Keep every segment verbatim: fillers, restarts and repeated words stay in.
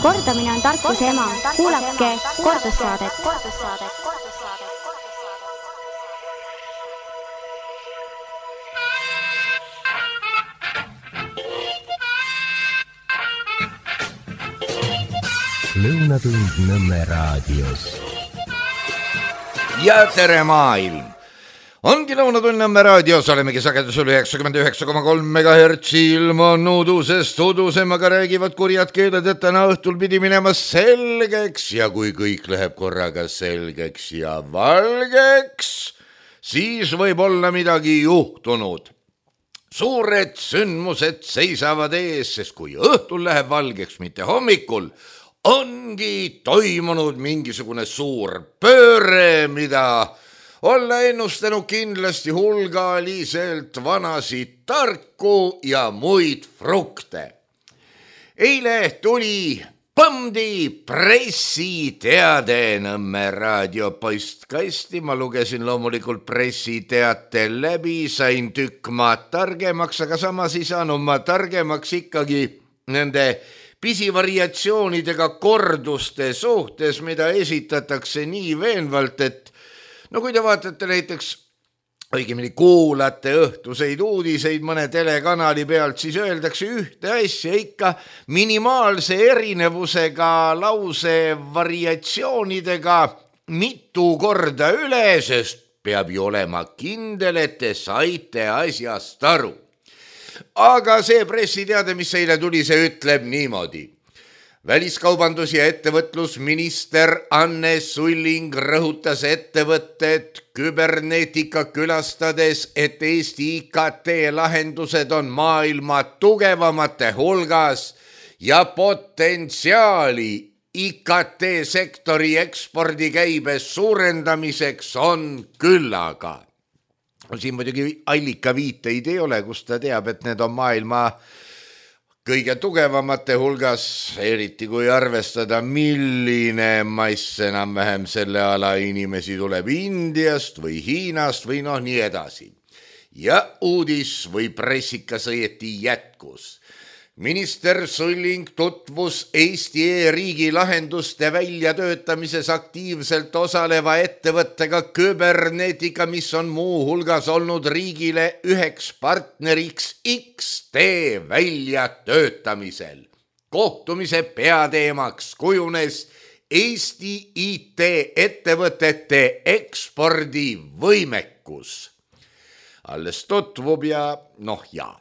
Kordamine on tarkuse ema. Kuulake kordussaadet. Lõunatund Nõmme raadios. Ja tere maailm! Ongi Lõunatund Nõmme raadios, olemegi sagedusel üheksakümmend üheksa koma kolm megahertsi ilmunud udusest udusemaga räägivad kurjad keeled, et täna õhtul pidi minema selgeks ja kui kõik läheb korraga selgeks ja valgeks, siis võib olla midagi juhtunud. Suured sündmused seisavad ees, sest kui õhtul läheb valgeks, mitte hommikul, ongi toimunud mingisugune suur pööre, mida olla ennustanud kindlasti hulgaliselt vanasid tarku ja muid frukte. Eile tuli põmdi pressiteade Nõmme raadio postkasti. Ma lugesin loomulikult pressiteate läbi, sain tükk maad targemaks, aga samas ei saanud ma targemaks ikkagi nende pisivariatsioonidega korduste suhtes, mida esitatakse nii veenvalt, et no kui te vaatate näiteks, õigemini kuulate õhtuseid uudiseid mõne telekanali pealt, siis öeldakse ühte asja ikka minimaalse erinevusega lause variatsioonidega mitu korda üle, sest peab ju olema kindel, et te saite asjast aru. Aga see pressiteade, mis eile tuli, see ütleb niimoodi. Väliskaubandus- ja ettevõtlusminister Anne Sulling rõhutas ettevõtted küberneetika külastades, et Eesti I K T-lahendused on maailma tugevamate hulgas ja potentsiaali I K T-sektori ekspordikäibe suurendamiseks on küllaga. Siin muidugi allika viiteid ei ole, kus ta teab, et need on maailma kõige tugevamate hulgas, eriti kui arvestada, milline mass enam-vähem selle ala inimesi tuleb Indiast või Hiinast või noh nii edasi. Ja uudis või pressikas õieti jätkus. Minister Sulling tutvus Eesti e-riigi lahenduste väljatöötamises aktiivselt osaleva ettevõttega Küberneetika, mis on muu hulgas olnud riigile üheks partneriks X T väljatöötamisel. Kohtumise peateemaks kujunes Eesti I T ettevõtete ekspordivõimekus. Alles tutvub ja noh jaa.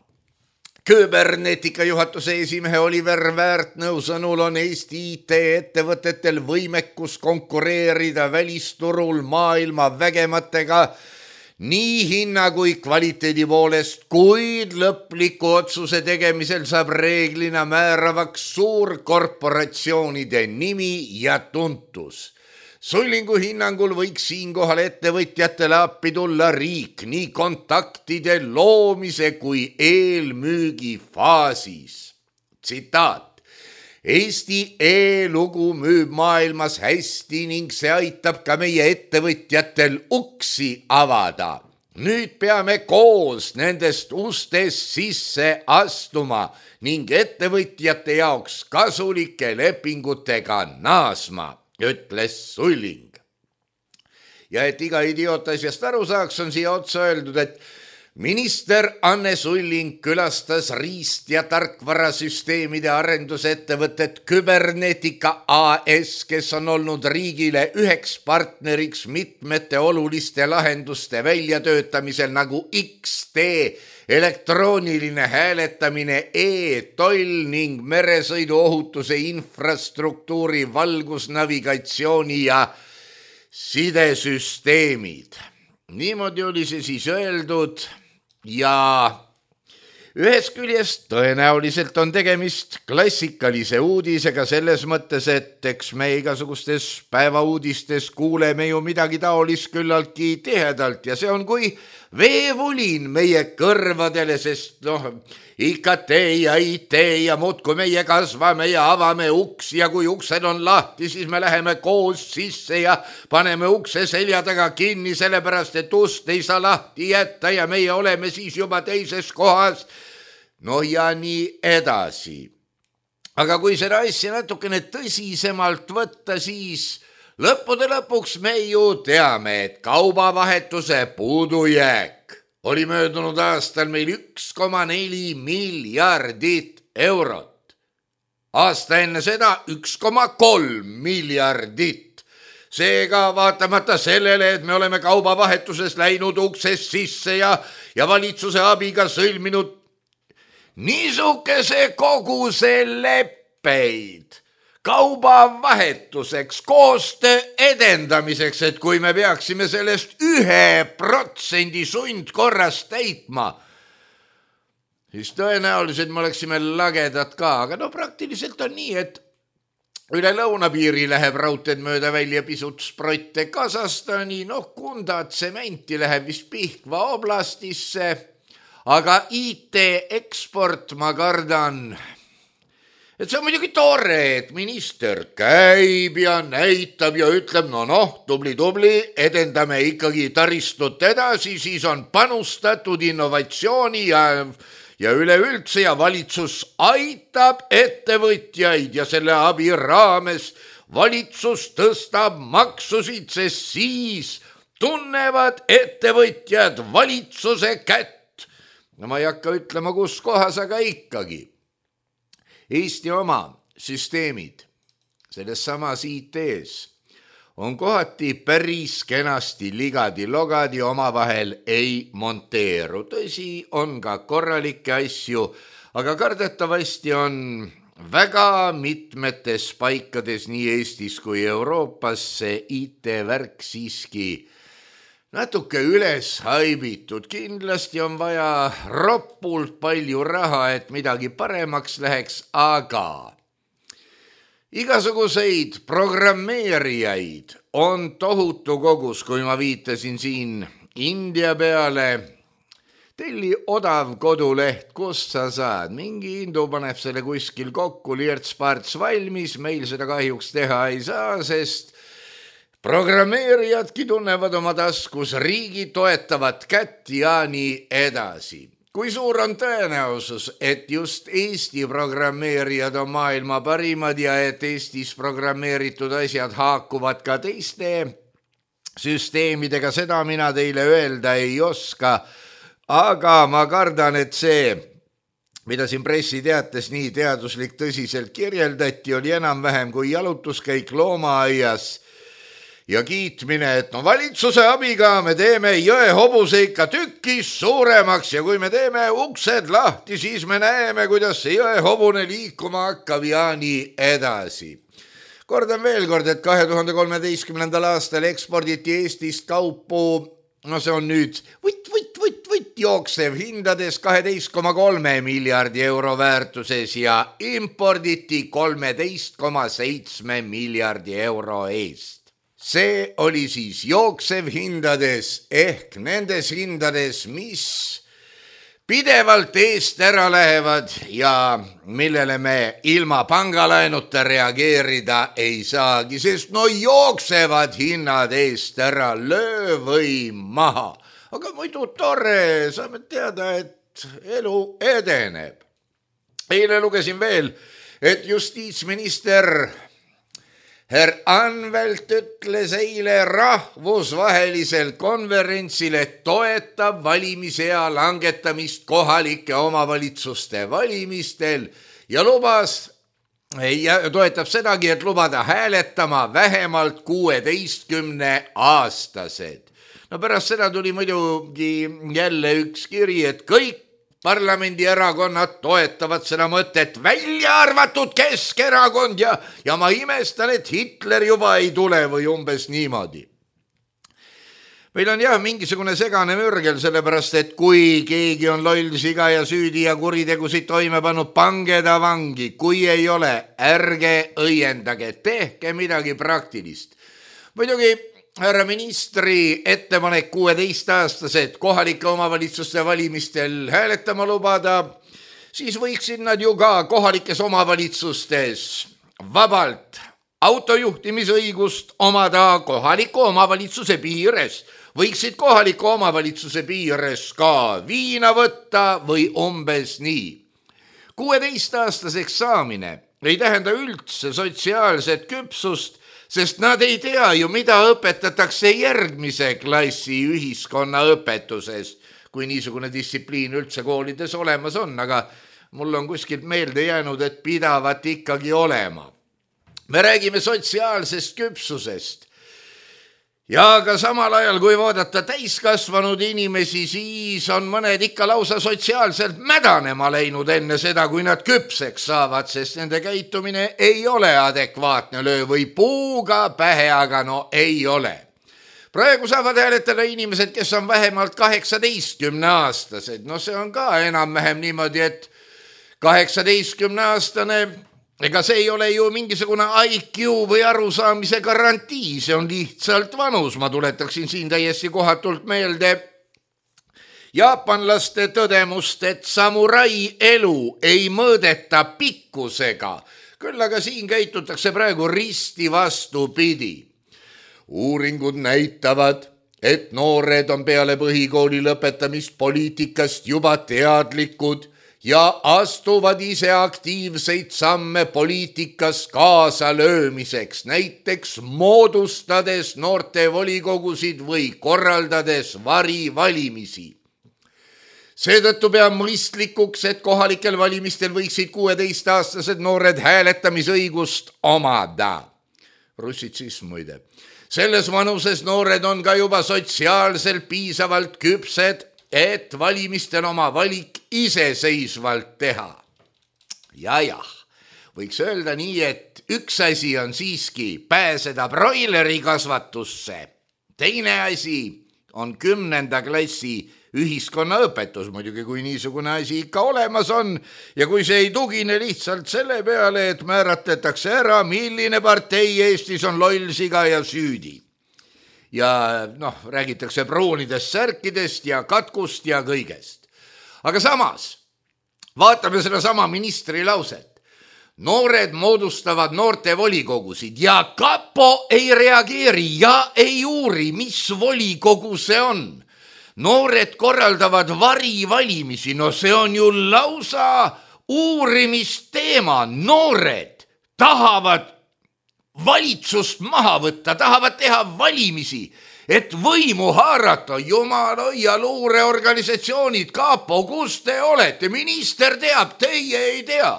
Küberneetika juhatuse esimehe Oliver Väärtnõu sõnul on Eesti I T ettevõtetel võimekus konkureerida välisturul maailma vägematega nii hinna kui kvaliteedi poolest, kuid lõpliku otsuse tegemisel saab reeglina määravaks suurkorporatsioonide nimi ja tuntus. Sullingu hinnangul võiks siinkohal ettevõtjatele appi tulla riik nii kontaktide loomise kui eelmüügi faasis. Tsitaat. Eesti e-lugu müüb maailmas hästi ning see aitab ka meie ettevõtjatel uksi avada. Nüüd peame koos nendest ustest sisse astuma ning ettevõtjate jaoks kasulike lepingutega naasma, ütles Sulling. Ja et iga idioot asjast aru saaks, on siia otsa öeldud, et minister Anne Sulling külastas riist- ja tarkvarasüsteemide arendusettevõtet Küberneetika A S, kes on olnud riigile üheks partneriks mitmete oluliste lahenduste väljatöötamisel nagu X T, elektrooniline hääletamine, e-toll ning meresõiduohutuse infrastruktuuri, valgusnavigatsiooni ja sidesüsteemid. Niimoodi oli see siis öeldud ja ühest küljest tõenäoliselt on tegemist klassikalise uudisega selles mõttes, et eks me igasugustes päevauudistes kuuleme ju midagi taolist küllaltki tihedalt ja see on kui veevulin meie kõrvadele, sest noh, I K T ja I T ja muudkui meie kasvame ja avame uksi ja kui uksed on lahti, siis me läheme koos sisse ja paneme ukse selja taga kinni, sellepärast et ust ei saa lahti jätta ja meie oleme siis juba teises kohas. No ja nii edasi. aga kui seda asja natukene tõsisemalt võtta, siis lõppude lõpuks me ju teame, et kaubavahetuse puudujääk oli möödunud aastal meil üks koma neli miljardit eurot. Aasta enne seda üks koma kolm miljardit. Seega vaatamata sellele, et me oleme kaubavahetuses läinud uksest sisse ja, ja valitsuse abiga sõlminud niisuguse koguse leppeid kaubavahetuseks, koostöö edendamiseks, et kui me peaksime sellest ühe protsendi sundkorras täitma, siis tõenäoliselt me oleksime lagedad ka, aga no praktiliselt on nii, et üle lõunapiiri läheb raudteed mööda välja pisut sprotte Kasahstani, noh Kunda tsementi läheb vist Pihkva oblastisse, aga I T eksport ma kardan, et see on muidugi tore, et minister käib ja näitab ja ütleb, no noh, tubli-tubli, edendame ikkagi taristut edasi, siis on panustatud innovatsiooni ja, ja üleüldse ja valitsus aitab ettevõtjaid ja selle abi raames valitsus tõstab maksusid, sest siis tunnevad ettevõtjad valitsuse kätt. No ma ei hakka ütlema, kus kohas, aga ikkagi. Eesti oma süsteemid selles samas I T-s on kohati päris kenasti ligadi-logadi, omavahel ei monteeru. Tõsi, on ka korralikke asju, aga kardetavasti on väga mitmetes paikades nii Eestis kui Euroopas see I T-värk siiski natuke üles haibitud. Kindlasti on vaja roppult palju raha, et midagi paremaks läheks, aga igasuguseid programmeerijaid on tohutu kogus, kui ma viitasin siin India peale. Telli odav koduleht, kust sa saad. Mingi hindu paneb selle kuskil kokku, lierts-parts valmis, meil seda kahjuks teha ei saa, sest programmeerijadki tunnevad oma taskus riigi toetavat kätt ja nii edasi. Kui suur on tõenäosus, et just Eesti programmeerijad on maailma parimad ja et Eestis programmeeritud asjad haakuvad ka teiste süsteemidega, seda mina teile öelda ei oska, aga ma kardan, et see, mida siin pressiteates nii teaduslik tõsiselt kirjeldati, oli enam-vähem kui jalutuskäik loomaaias ja kiitmine, et no valitsuse abiga me teeme jõe hobuse ikka tükkis suuremaks ja kui me teeme uksed lahti, siis me näeme, kuidas see jõe hobune liikuma hakkab ja nii edasi. Kordan veel kord, et kahe tuhande kolmeteistkümnendal aastal eksporditi Eestist kaupu, no see on nüüd võtt, võtt, võtt, võtt jooksev hindades kaheteist koma kolm miljardi euro väärtuses ja imporditi kolmteist koma seitse miljardi euro eest. See oli siis jooksev hindades ehk nendes hindades, mis pidevalt eest ära lähevad ja millele me ilma pangalaenuta reageerida ei saagi, sest no jooksevad hinnad eest ära, löö või maha. Aga muidu tore, saame teada, et elu edeneb. Eile lugesin veel, et justiitsminister Herr Anvelt ütles eile rahvusvahelisel konverentsil, et toetab valimisea langetamist kohalike omavalitsuste valimistel ja lubas, ja toetab sedagi, et lubada hääletama vähemalt kuueteistkümne aastased. No pärast seda tuli muidugi jälle üks kiri, et kõik parlamendierakonnad toetavad seda mõtet, välja arvatud Keskerakond ja, ja ma imestan, et Hitler juba ei tule või umbes niimoodi. Meil on jah mingisugune segane mürgel, sellepärast et kui keegi on loll siga ja süüdi ja kuritegusid toime pannud, pange ta vangi. Kui ei ole, ärge õiendage, tehke midagi praktilist. Muidugi härra ministri ettepanek kuueteistaastased kohalike omavalitsuste valimistel hääletama lubada, siis võiksid nad ju ka kohalikes omavalitsustes vabalt autojuhtimisõigust omada kohaliku omavalitsuse piires. Võiksid kohaliku omavalitsuse piires ka viina võtta või umbes nii. kuueteistaastaseks saamine ei tähenda üldse sotsiaalset küpsust, sest nad ei tea ju, mida õpetatakse järgmise klassi ühiskonnaõpetuses, kui niisugune distsipliin üldse koolides olemas on, aga mul on kuskilt meelde jäänud, et pidavat ikkagi olema. Me räägime sotsiaalsest küpsusest ja ka samal ajal, kui vaadata täiskasvanud inimesi, siis on mõned ikka lausa sotsiaalselt mädanema läinud enne seda, kui nad küpseks saavad, sest nende käitumine ei ole adekvaatne, löö või puuga pähe, aga no ei ole. Praegu saavad hääletada inimesed, kes on vähemalt kaheksateistkümne aastased. No see on ka enam-vähem niimoodi, et kaheksateistkümne aastane, ega see ei ole ju mingisugune I Q või arusaamise garantii, see on lihtsalt vanus. Ma tuletaksin siin täiesti kohatult meelde jaapanlaste tõdemust, et samurai elu ei mõõdeta pikkusega, küll aga siin käitutakse praegu risti vastupidi. Uuringud näitavad, et noored on peale põhikooli lõpetamist poliitikast juba teadlikud ja astuvad ise aktiivseid samme poliitikas kaasa löömiseks, näiteks moodustades noorte volikogusid või korraldades varivalimisi. Seetõttu peab mõistlikuks, et kohalikel valimistel võiksid kuueteistaastased noored hääletamisõigust omada. Russitsism muide. Selles vanuses noored on ka juba sotsiaalselt piisavalt küpsed, et valimistel oma valik iseseisvalt teha. Ja jah, võiks öelda nii, et üks asi on siiski pääseda broileri kasvatusse. Teine asi on kümnenda klassi ühiskonnaõpetus, muidugi kui niisugune asi ikka olemas on ja kui see ei tugine lihtsalt selle peale, et määratletakse ära, milline partei Eestis on lollsiga ja süüdi. Ja noh, räägitakse pruunidest särkidest ja katkust ja kõigest. Aga samas, vaatame seda sama ministri lauset. Noored moodustavad noorte volikogusid ja kapo ei reageeri ja ei uuri, mis volikogu see on. Noored korraldavad varivalimisi, no see on ju lausa uurimisteema. Noored tahavad valitsust maha võtta, tahavad teha valimisi, et võimu haarata. Jumala ja luureorganisatsioonid, kapo, kus te olete? Minister teab, teie ei tea.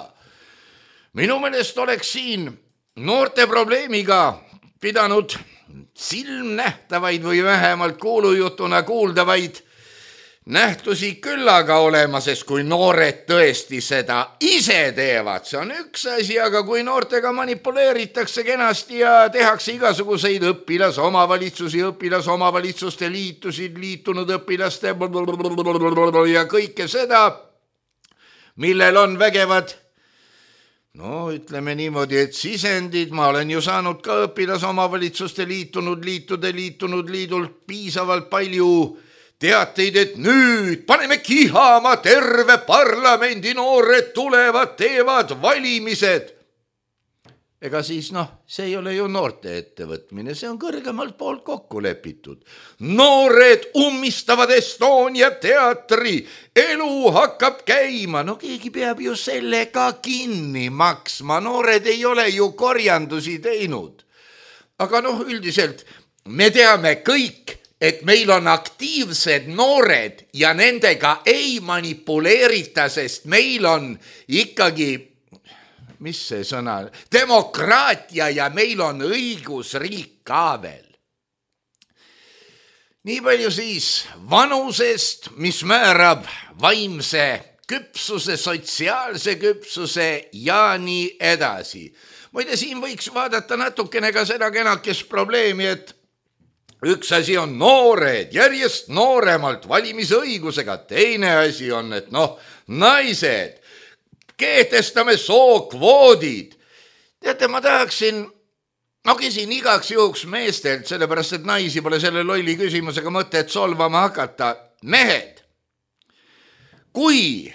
Minu meelest oleks siin noorte probleemiga pidanud silmnähtavaid või vähemalt kuulujutuna kuuldavaid nähtusi küllaga olema, sest kui noored tõesti seda ise teevad, see on üks asi, aga kui noortega manipuleeritakse kenasti ja tehakse igasuguseid õpilasomavalitsusi, õpilasomavalitsuste liitusid, liitunud õpilaste ja kõike seda, millel on vägevad, no ütleme niimoodi, et sisendid, ma olen ju saanud ka õpilasomavalitsuste liitunud, liitude, liitunud liidult piisavalt palju teateid, et nüüd paneme kihama, terve parlamendi noored tulevad, teevad valimised. Ega siis noh, see ei ole ju noorte ettevõtmine, see on kõrgemalt poolt kokku lepitud. Noored ummistavad Estonia teatri, elu hakkab käima, no keegi peab ju sellega kinni maksma, noored ei ole ju korjandusi teinud. Aga noh, üldiselt me teame kõik, et meil on aktiivsed noored ja nendega ei manipuleerita, sest meil on ikkagi, mis see sõna, demokraatia ja meil on õigusriik ka veel. Nii palju siis vanusest, mis määrab vaimse küpsuse, sotsiaalse küpsuse ja nii edasi. Muide, siin võiks vaadata natukene ka seda kenakest probleemi, et üks asi on noored, järjest nooremalt valimisõigusega, teine asi on, et noh, naised, kehtestame sookvoodid. Teate, ma tahaksin, ma küsin igaks juhuks meestelt, sellepärast et naisi pole selle lolli küsimusega mõtet solvama hakata. Mehed, kui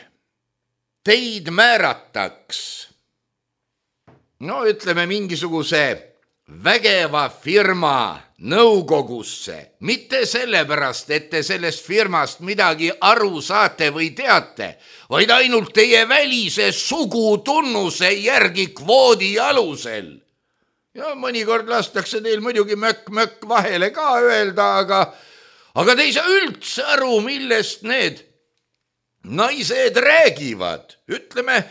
teid määrataks, no ütleme mingisuguse vägeva firma nõukogusse, mitte sellepärast, et te sellest firmast midagi aru saate või teate, vaid ainult teie välise sugutunnuse järgi kvoodi alusel. Ja mõnikord lastakse teil muidugi mökk-mökk vahele ka öelda, aga, aga te ei saa üldse aru, millest need naised räägivad. Ütleme,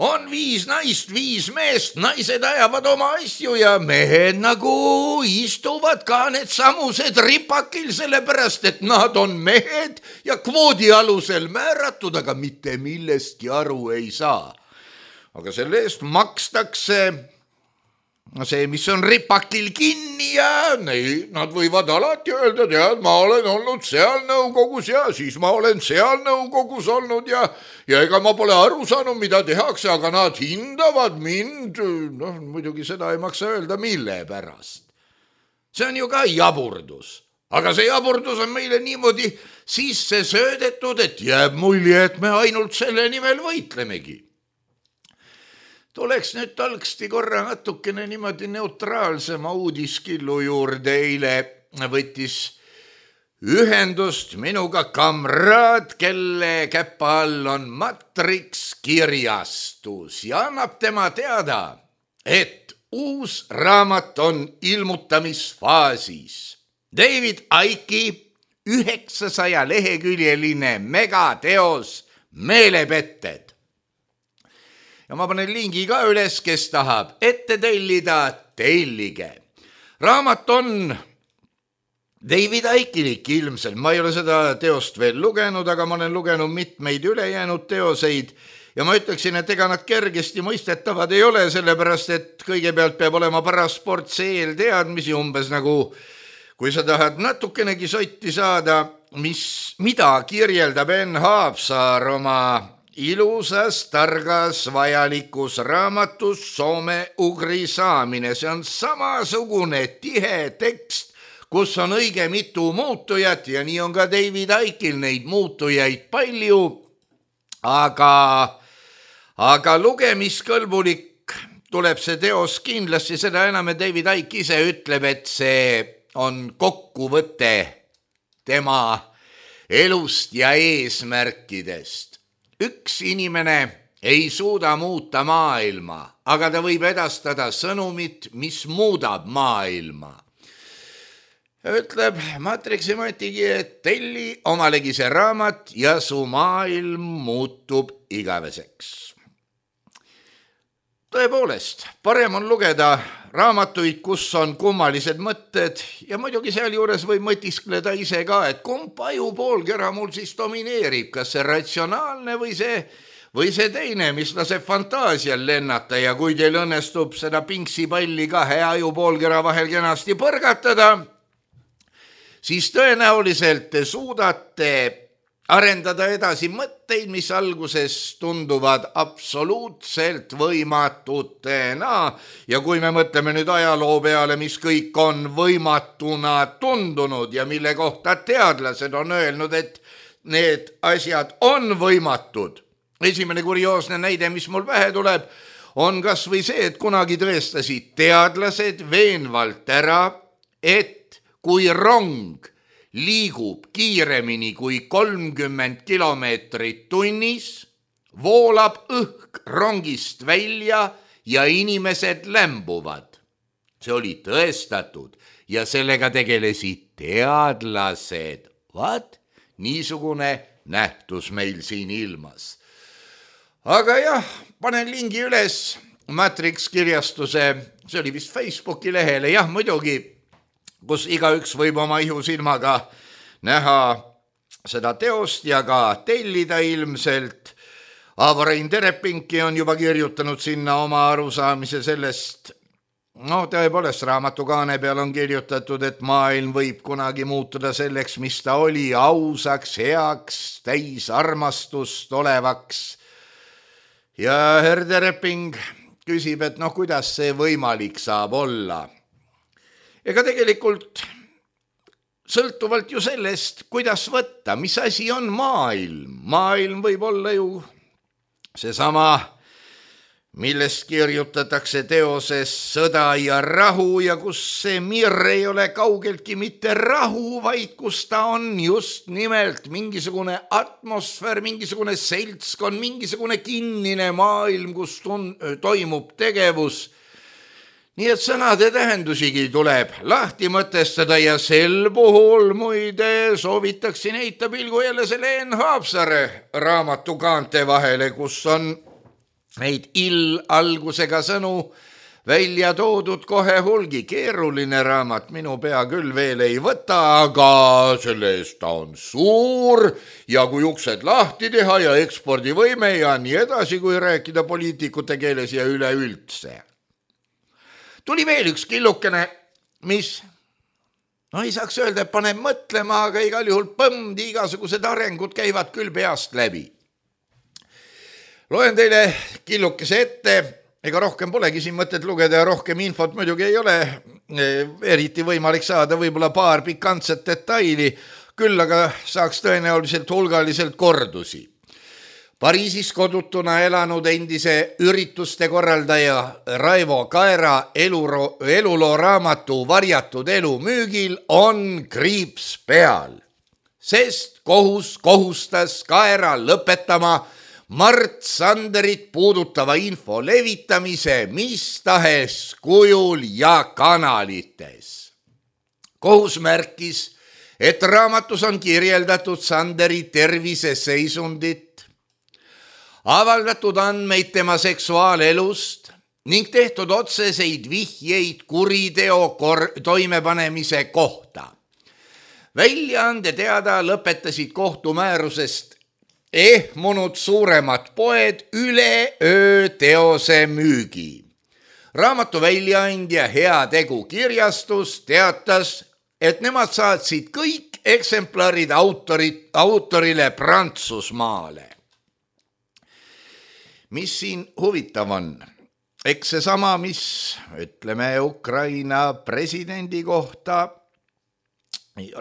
on viis naist, viis meest, naised ajavad oma asju ja mehed nagu istuvad ka need samused ripakil, sellepärast, et nad on mehed ja kvoodi alusel määratud, aga mitte millestki aru ei saa. Aga selle eest makstakse see, mis on ripakil kinni ja nei, nad võivad alati öelda, tead, ma olen olnud seal nõukogus ja siis ma olen seal nõukogus olnud ja, ja ega ma pole aru saanud, mida tehakse, aga nad hindavad mind. Noh, muidugi seda ei maksa öelda, mille pärast. See on ju ka jaburdus. Aga see jaburdus on meile niimoodi sisse söödetud, et jääb mulje, et me ainult selle nimel võitlemegi. Tuleks nüüd talksti korra natukene niimoodi neutraalsema uudiskillu juurde. Eile võttis ühendust minuga kamraad, kelle käpa all on Matrix kirjastus ja annab tema teada, et uus raamat on ilmutamisfaasis. David Icke'i üheksasaja leheküljeline megateos Meelepetted. Ja ma panen lingi ka üles, kes tahab ette tellida, tellige. Raamat on David Icke'ilik ilmselt. Ma ei ole seda teost veel lugenud, aga ma olen lugenud mitmeid ülejäänud teoseid ja ma ütleksin, et ega nad kergesti mõistetavad ei ole, sellepärast, et kõigepealt peab olema parasport eelteadmisi, umbes nagu kui sa tahad natukenegi sotti saada, mis, mida kirjeldab Enn Haapsaar oma ilusas, targas, vajalikus raamatus soome-ugri saamine. See on samasugune tihe tekst, kus on õige mitu muutujat ja nii on ka David Icke'il neid muutujaid palju, aga, aga lugemiskõlbulik tuleb see teos kindlasti, seda enam, et David Icke ise ütleb, et see on kokkuvõte tema elust ja eesmärkidest. Üks inimene ei suuda muuta maailma, aga ta võib edastada sõnumit, mis muudab maailma. Ütleb Matrixi Matigi, et telli omalegi see raamat ja su maailm muutub igaveseks. Tõepoolest, parem on lugeda raamatuid, kus on kummalised mõtted ja muidugi seal juures võib mõtiskleda ise ka, et kumb ajupoolkera mul siis domineerib, kas see ratsionaalne või see, või see teine, mis laseb fantaasial lennata ja kui teil õnnestub seda pinksipalli kahe ajupoolkera vahel kenasti põrgatada, siis tõenäoliselt te suudate arendada edasi mõtteid, mis alguses tunduvad absoluutselt võimatutena. Ja kui me mõtleme nüüd ajaloo peale, mis kõik on võimatuna tundunud ja mille kohta teadlased on öelnud, et need asjad on võimatud. Esimene kurioosne näide, mis mul pähe tuleb, on kas või see, et kunagi tõestasid teadlased veenvalt ära, et kui rong liigub kiiremini kui kolmkümmend kilomeetrit tunnis, voolab õhk rongist välja ja inimesed lämbuvad. See oli tõestatud ja sellega tegelesid teadlased. Vaat, niisugune nähtus meil siin ilmas. Aga jah, panen lingi üles Matrix kirjastuse, see oli vist Facebooki lehele, jah muidugi, kus igaüks võib oma ihusilmaga näha seda teost ja ka tellida ilmselt. Avo-Rein Terepinki on juba kirjutanud sinna oma arusaamise sellest. No tõepoolest, raamatukaane peal on kirjutatud, et maailm võib kunagi muutuda selleks, mis ta oli, ausaks, heaks, täis armastust olevaks. Ja herr Tereping küsib, et noh, kuidas see võimalik saab olla. Ega tegelikult sõltuvalt ju sellest, kuidas võtta, mis asi on maailm. Maailm võib olla ju seesama millest kirjutatakse teoses Sõda ja rahu ja kus see mirr ei ole kaugeltki mitte rahu, vaid kus ta on just nimelt mingisugune atmosfäär, mingisugune seltskond, mingisugune kinnine maailm, kus tun- toimub tegevus. Nii et sõnade tähendusigi tuleb lahti mõtestada ja sel puhul muide soovitaksin heita pilgu jälle selle Enn Haapsaare raamatu kaante vahele, kus on neid ill-algusega sõnu välja toodud kohe hulgi. Keeruline raamat, minu pea küll veel ei võta, aga selle eest ta on suur ja kui uksed lahti teha ja ekspordivõime ja nii edasi, kui rääkida poliitikute keeles ja üleüldse. Tuli veel üks killukene, mis, no ei saaks öelda, et paneb mõtlema, aga igal juhul põmdi, igasugused arengud käivad küll peast läbi. Loen teile killukese ette, ega rohkem polegi siin mõtet lugeda ja rohkem infot muidugi ei ole, eriti võimalik saada võib-olla paar pikantset detaili, küll aga saaks tõenäoliselt hulgaliselt kordusi. Pariisis kodutuna elanud endise ürituste korraldaja Raivo Kaera eluro, eluloo raamatu Varjatud elu müügil on kriips peal, sest kohus kohustas Kaera lõpetama Mart Sanderit puudutava info levitamise mis tahes kujul ja kanalites. Kohus märkis, et raamatus on kirjeldatud Sanderi terviseseisundit, avaldatud andmeid tema seksuaalelust ning tehtud otseseid vihjeid kuriteo kor- toimepanemise kohta. Väljaande teada lõpetasid kohtumäärusest ehmunud suuremad poed üleöö teose müügi. Raamatu väljaandja Heategu kirjastus teatas, et nemad saatsid kõik eksemplarid autorit, autorile Prantsusmaale. Mis siin huvitav on? Eks see sama, mis ütleme Ukraina presidendi kohta,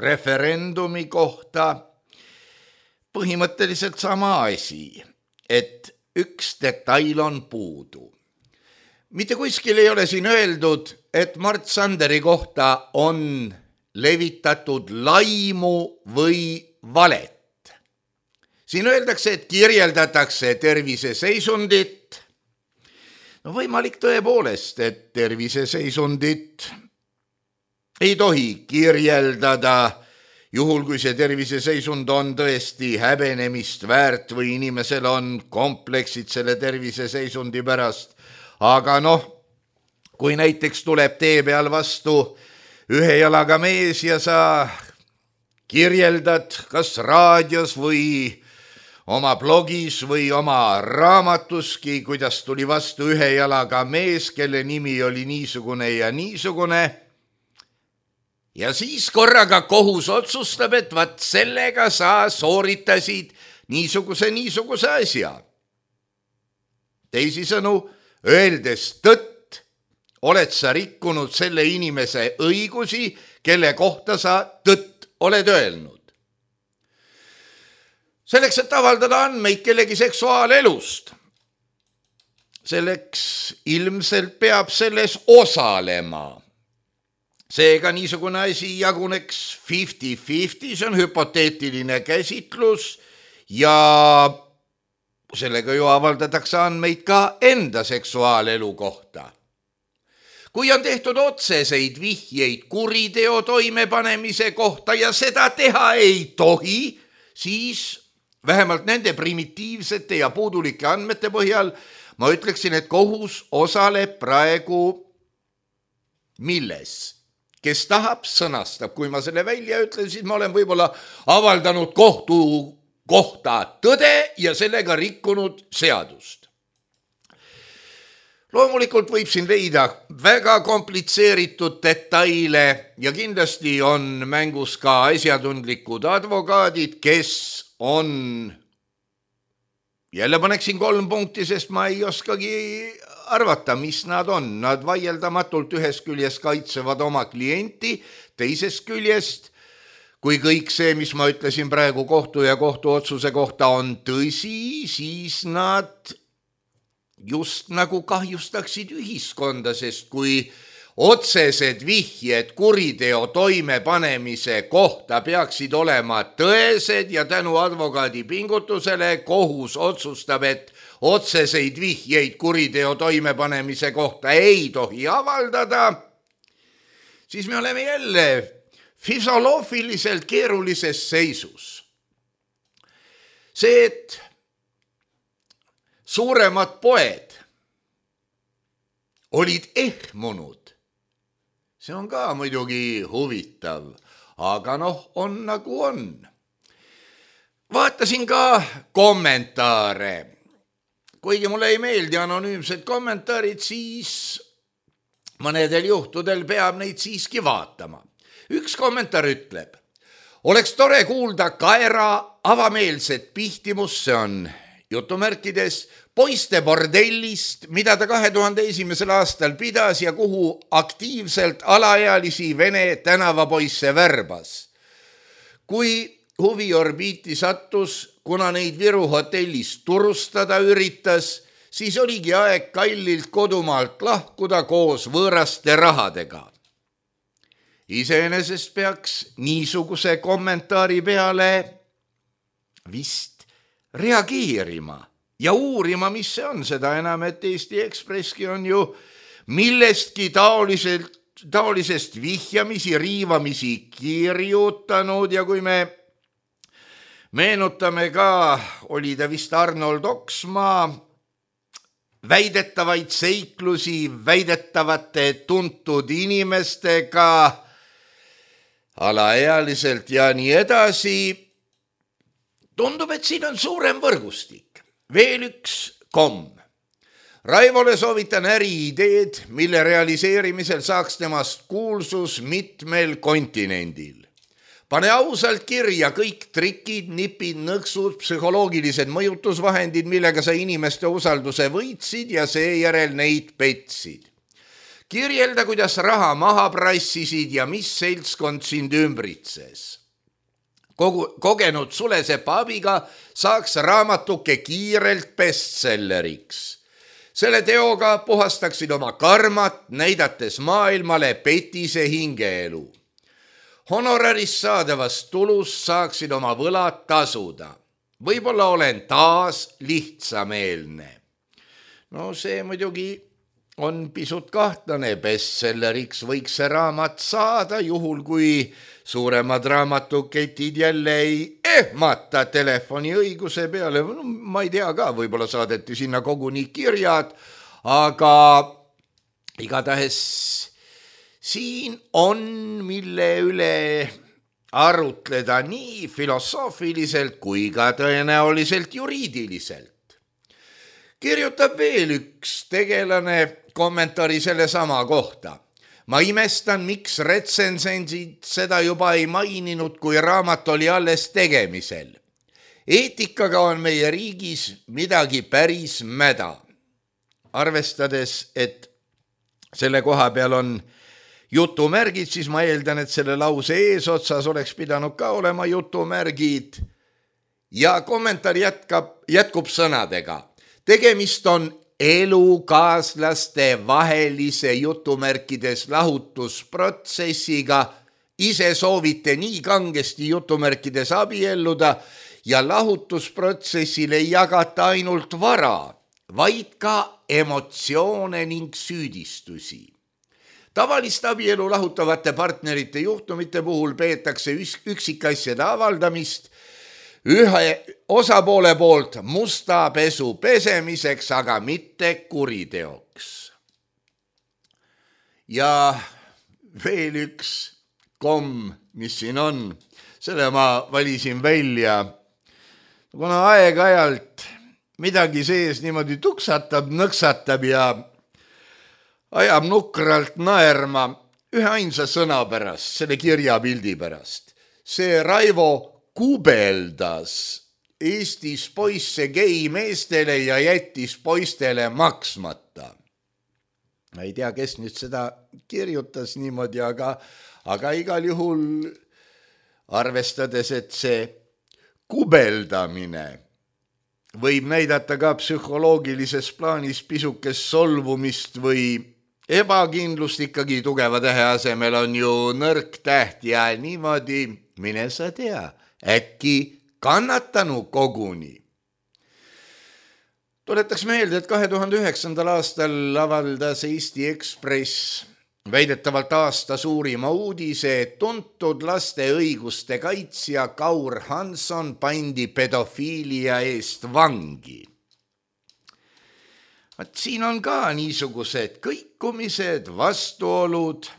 referendumi kohta, põhimõtteliselt sama asi, et üks detail on puudu. Mitte kuskil ei ole siin öeldud, et Mart Sanderi kohta on levitatud laimu või valet. Siin öeldakse, et kirjeldatakse terviseseisundit. No võimalik tõepoolest, et terviseseisundit ei tohi kirjeldada, juhul kui see terviseseisund on tõesti häbenemist väärt või inimesel on kompleksid selle terviseseisundi pärast. Aga noh, kui näiteks tuleb tee peal vastu ühe jalaga mees ja sa kirjeldad kas raadios või oma blogis või oma raamatuski, kuidas tuli vastu ühe jalaga mees, kelle nimi oli niisugune ja niisugune. Ja siis korraga kohus otsustab, et vat sellega sa sooritasid niisuguse niisuguse asja. Teisisõnu, öeldes tõtt, oled sa rikkunud selle inimese õigusi, kelle kohta sa tõtt oled öelnud. Selleks, et avaldada andmeid kellegi seksuaalelust, selleks ilmselt peab selles osalema. Seega niisugune asi jaguneks viiskümmend viiskümmend, see on hüpoteetiline käsitlus ja sellega ju avaldatakse andmeid ka enda seksuaalelu kohta. Kui on tehtud otseseid vihjeid kuriteo toimepanemise kohta ja seda teha ei tohi, siis vähemalt nende primitiivsete ja puudulike andmete põhjal ma ütleksin, et kohus osaleb praegu milles? Kes tahab, sõnastab. Kui ma selle välja ütlen, siis ma olen võib-olla avaldanud kohtu kohta tõde ja sellega rikkunud seadust. Loomulikult võib siin leida väga komplitseeritud detaile ja kindlasti on mängus ka asjatundlikud advokaadid, kes on, jälle paneksin kolm punkti, sest ma ei oskagi arvata, mis nad on. Nad vaieldamatult ühest küljest kaitsevad oma klienti, teisest küljest, kui kõik see, mis ma ütlesin praegu kohtu ja kohtuotsuse kohta on tõsi, siis nad just nagu kahjustaksid ühiskonda, sest kui otsesed vihjed kuriteo toimepanemise kohta peaksid olema tõesed ja tänu advokaadi pingutusele kohus otsustab, et otseseid vihjeid kuriteo toimepanemise kohta ei tohi avaldada, siis me oleme jälle füsioloogiliselt keerulises seisus. See, et suuremad poed olid ehmunud, see on ka muidugi huvitav, aga noh, on nagu on. Vaatasin ka kommentaare. Kuigi mulle ei meeldi anonüümsed kommentaarid, siis mõnedel juhtudel peab neid siiski vaatama. Üks kommentaar ütleb, oleks tore kuulda Kaera avameelset pihtimust, see on jutumärkides poiste bordellist, mida ta kahe tuhande esimesel aastal pidas ja kuhu aktiivselt alaealisi vene tänavapoisse värbas. Kui huviorbiiti sattus, kuna neid Viru hotellis turustada üritas, siis oligi aeg kallilt kodumaalt lahkuda koos võõraste rahadega. Iseenesest peaks niisuguse kommentaari peale vist reageerima ja uurima, mis see on, seda enam, et Eesti Ekspresski on ju millestki taoliselt, taolisest vihjamisi, riivamisi kirjutanud ja kui me meenutame ka, oli ta vist Arnold Oksmaa väidetavaid seiklusi väidetavate tuntud inimestega, alaealiselt ja nii edasi, tundub, et siin on suurem võrgustik. Veel üks komm. Raivole soovitan äriideed, mille realiseerimisel saaks temast kuulsus mitmel kontinendil. Pane ausalt kirja kõik trikid, nipid, nõksud, psühholoogilised mõjutusvahendid, millega sa inimeste usalduse võitsid ja seejärel neid petsid. Kirjelda, kuidas raha maha prassisid ja mis seltskond sind ümbritses. Kogu, kogenud Sulesepa abiga saaks raamatuke kiirelt bestselleriks. Selle teoga puhastaksid oma karmat, näidates maailmale petise hingeelu. Honorarist saadavast tulust saaksid oma võlad tasuda. Võib-olla olen taas lihtsameelne. No see muidugi on pisut kahtlane, bestselleriks võiks see raamat saada, juhul kui suuremad raamatuketid jälle ei ehmata telefoni õiguse peale. No, ma ei tea ka, võib-olla saadeti sinna koguni kirjad, aga igatahes siin on, mille üle arutleda nii filosoofiliselt kui ka tõenäoliselt juriidiliselt. Kirjutab veel üks tegelane kommentaari selle sama kohta. Ma imestan, miks retsensendid seda juba ei maininud, kui raamat oli alles tegemisel. Eetikaga on meie riigis midagi päris mäda. Arvestades, et selle koha peal on jutumärgid, siis ma eeldan, et selle lause eesotsas oleks pidanud ka olema jutumärgid. Ja kommentaar jätkab, jätkub sõnadega. Tegemist on elukaaslaste vahelise jutumärkides lahutusprotsessiga. Ise soovite nii kangesti jutumärkides abielluda ja lahutusprotsessil ei jagata ainult vara, vaid ka emotsioone ning süüdistusi. Tavalist abielu lahutavate partnerite juhtumite puhul peetakse üksikasjade avaldamist ühe osapoole poolt musta pesu pesemiseks, aga mitte kuriteoks. Ja veel üks komm, mis siin on, selle ma valisin välja. Kuna aeg-ajalt midagi sees niimoodi tuksatab, nõksatab ja ajab nukralt naerma ühe ainsa sõna pärast, selle kirjapildi pärast. See Raivo kubeldas Eestis poisse gei meestele ja jättis poistele maksmata. Ma ei tea, kes nüüd seda kirjutas niimoodi, aga, aga igal juhul arvestades, et see kubeldamine võib näidata ka psühholoogilises plaanis pisukest solvumist või ebakindlust, ikkagi tugeva tähe asemel on ju nõrk täht ja niimoodi, mine sa tea, äkki kannatanu koguni. Tuletaks meelde, et kahe tuhande üheksandal aastal avaldas Eesti Ekspress väidetavalt aasta suurima uudise, et tuntud laste õiguste kaitsja Kaur Hanson pandi pedofiilia eest vangi. Vaat siin on ka niisugused kõikumised, vastuolud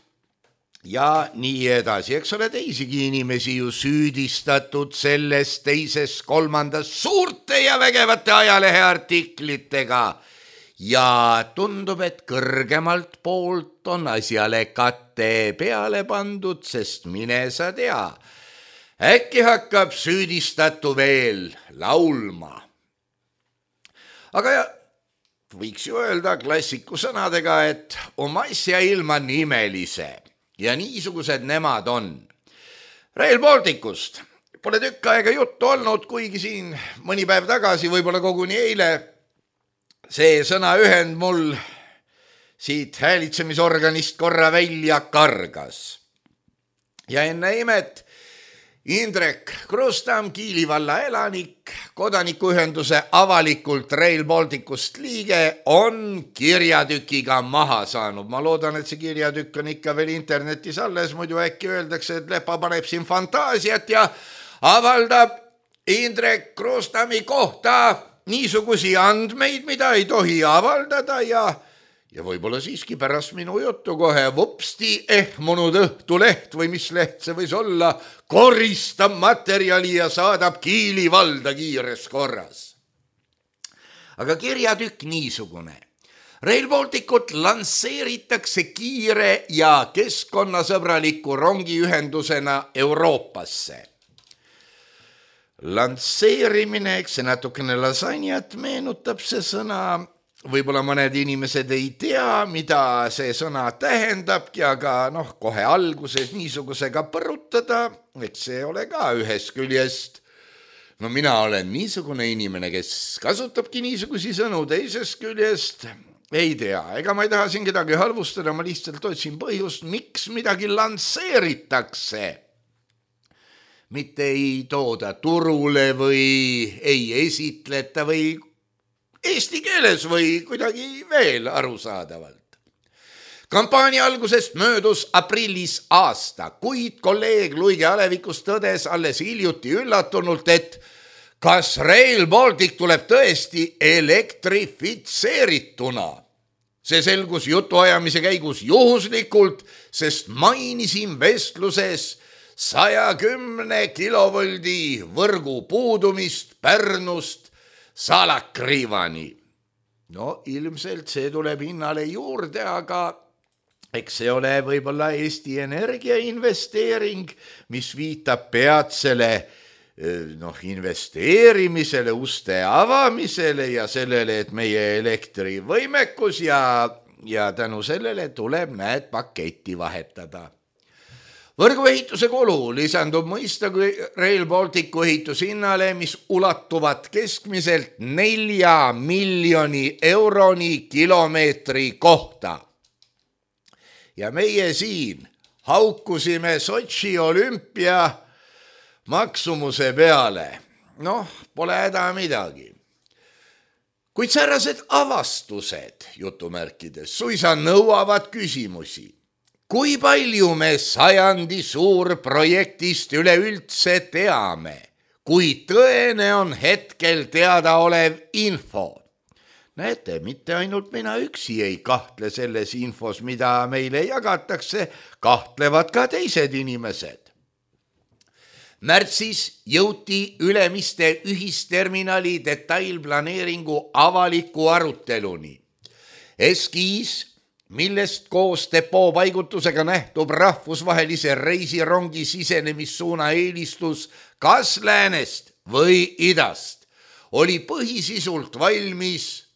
ja nii edasi. Eks ole teisigi inimesi ju süüdistatud selles, teises, kolmandas suurte ja vägevate ajaleheartiklitega. Ja tundub, et kõrgemalt poolt on asjale katte peale pandud, sest mine sa tea, äkki hakkab süüdistatu veel laulma. Aga ja, võiks ju öelda klassiku sõnadega, et oma asja ilma nimelise ja niisugused nemad on. Rail Balticust pole tükk aega juttu olnud, kuigi siin mõni päev tagasi, võib-olla koguni eile, see sõna ühend mul siit häälitsemisorganist korra välja kargas. Ja enne imet Indrek Krustam, Kiili valla elanik, kodanikuühenduse avalikult Rail Balticust liige, on kirjatükiga maha saanud. Ma loodan, et see kirjatükk on ikka veel internetis alles, muidu äkki öeldakse, et Lepa paneb siin fantaasiat ja avaldab Indrek Krustami kohta niisugusi andmeid, mida ei tohi avaldada ja, ja võib-olla siiski pärast minu juttu kohe vupsti ehmunud Õhtuleht või mis leht see võis olla, koristab materjali ja saadab Kiili valda kiires korras. Aga kirjatükk niisugune. Rail Balticut lansseeritakse kiire ja keskkonnasõbraliku rongiühendusena Euroopasse. Lansseerimine, eks see natukene lasanjat meenutab see sõna, võib-olla mõned inimesed ei tea, mida see sõna tähendabki, aga noh, kohe alguses niisugusega põrutada, eks see ole ka ühest küljest. No mina olen niisugune inimene, kes kasutabki niisugusi sõnu, teisest küljest ei tea, ega ma ei taha siin kedagi halvustada, ma lihtsalt otsin põhjust, miks midagi lansseeritakse. Mitte ei tooda turule või ei esitleta või eesti keeles või kuidagi veel arusaadavalt. Kampaania algusest möödus aprillis aasta, kuid kolleeg Luige Alevikust tõdes alles hiljuti üllatunult, et kas Rail Baltic tuleb tõesti elektrifitseerituna. See selgus jutuajamise käigus juhuslikult, sest mainisin vestluses saja kümne kilovoldi võrgu puudumist Pärnust Salakriivani. No ilmselt see tuleb hinnale juurde, aga eks see ole võib-olla Eesti Energia investeering, mis viitab peatsele noh, investeerimisele, uste avamisele ja sellele, et meie elektrivõimekus ja, ja tänu sellele tuleb näed paketti vahetada. Võrguehituse kulu lisandub mõistagi Rail Balticu ehitushinnale, mis ulatuvad keskmiselt nelja miljoni euroni kilomeetri kohta. Ja meie siin haukusime Sotši olümpia maksumuse peale. Noh, pole häda midagi. Kuid säärased avastused, jutumärkides, suisa nõuavad küsimusi. Kui palju me sajandi suurprojektist üleüldse teame, kui tõene on hetkel teada olev info? Näete, mitte ainult mina üksi ei kahtle selles infos, mida meile jagatakse, kahtlevad ka teised inimesed. Märtsis jõuti Ülemiste ühisterminali detailplaneeringu avaliku aruteluni. Eskiis, millest koos depoo paigutusega nähtub rahvusvahelise reisirongi sisenemissuuna eelistus kas läänest või idast, oli põhisisult valmis